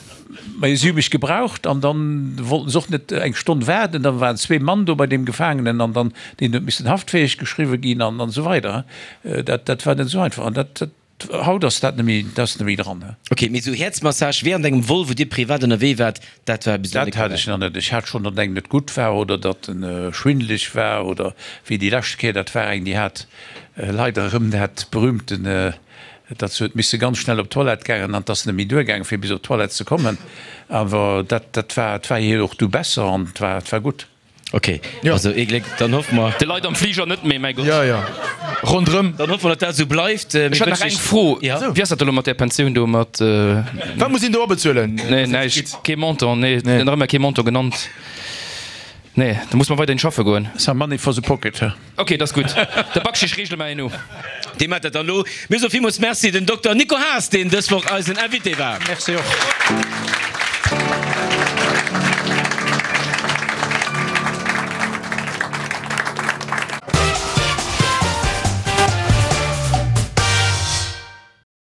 Mä si hu mech gebraucht an dann wollten se och net eng Stonn waarden. Da waren zwee Mann do bei deem Gefaangenen an dann, deen huet missen haftfäeg geschriwwe ginn an esou weider, he? Dat, dat war net esou einfach an dat, dat. Haut ass dat net méi, dat ass net méi dran. Ok, mee esou Häerzmassage während engem Vol, wou Dir privat ënnerwee waart, dat war bis elo net. Dat hat ech nach net. Ech hat schonn, datt engem net gutt war oder datt en schwindeleg war oder wéi déi lescht Kéier, dat war eng, déi hat leider erëm dat berühmten datt se huet misse ganz schnell op d'Toilette gaangen an 't ass net méi duergaangen, fir bis op d'Toilette ze kommen. Awer dat, dat war, 't war hir och du besser an 't war, 't war gutt. Ok, also ee Gléck, dann hoffe mer. De Leit am Fliger net méi, mäi Gott. Jo, jo, ronderëm. Dann hoffe mer, datt dat esou bleift. Ech hätt nach eng Fro. Wéi ass dat elo mat där Pensioun do mat. Wat muss een do abezuelen? Nee, näischt, kee Montant, nee, nach ëmmer kee Montant genannt. Nee, da muss mer weiderhin schaffe goen. Some money for the pocket, he? Ok, dat ass gutt. De Bakschisch reegele mer herno. Dee mat dat dann elo. Mir soe villmools Merci dem Dokter Nico Haas, deen dës Woch eisen Invité war. Merci och.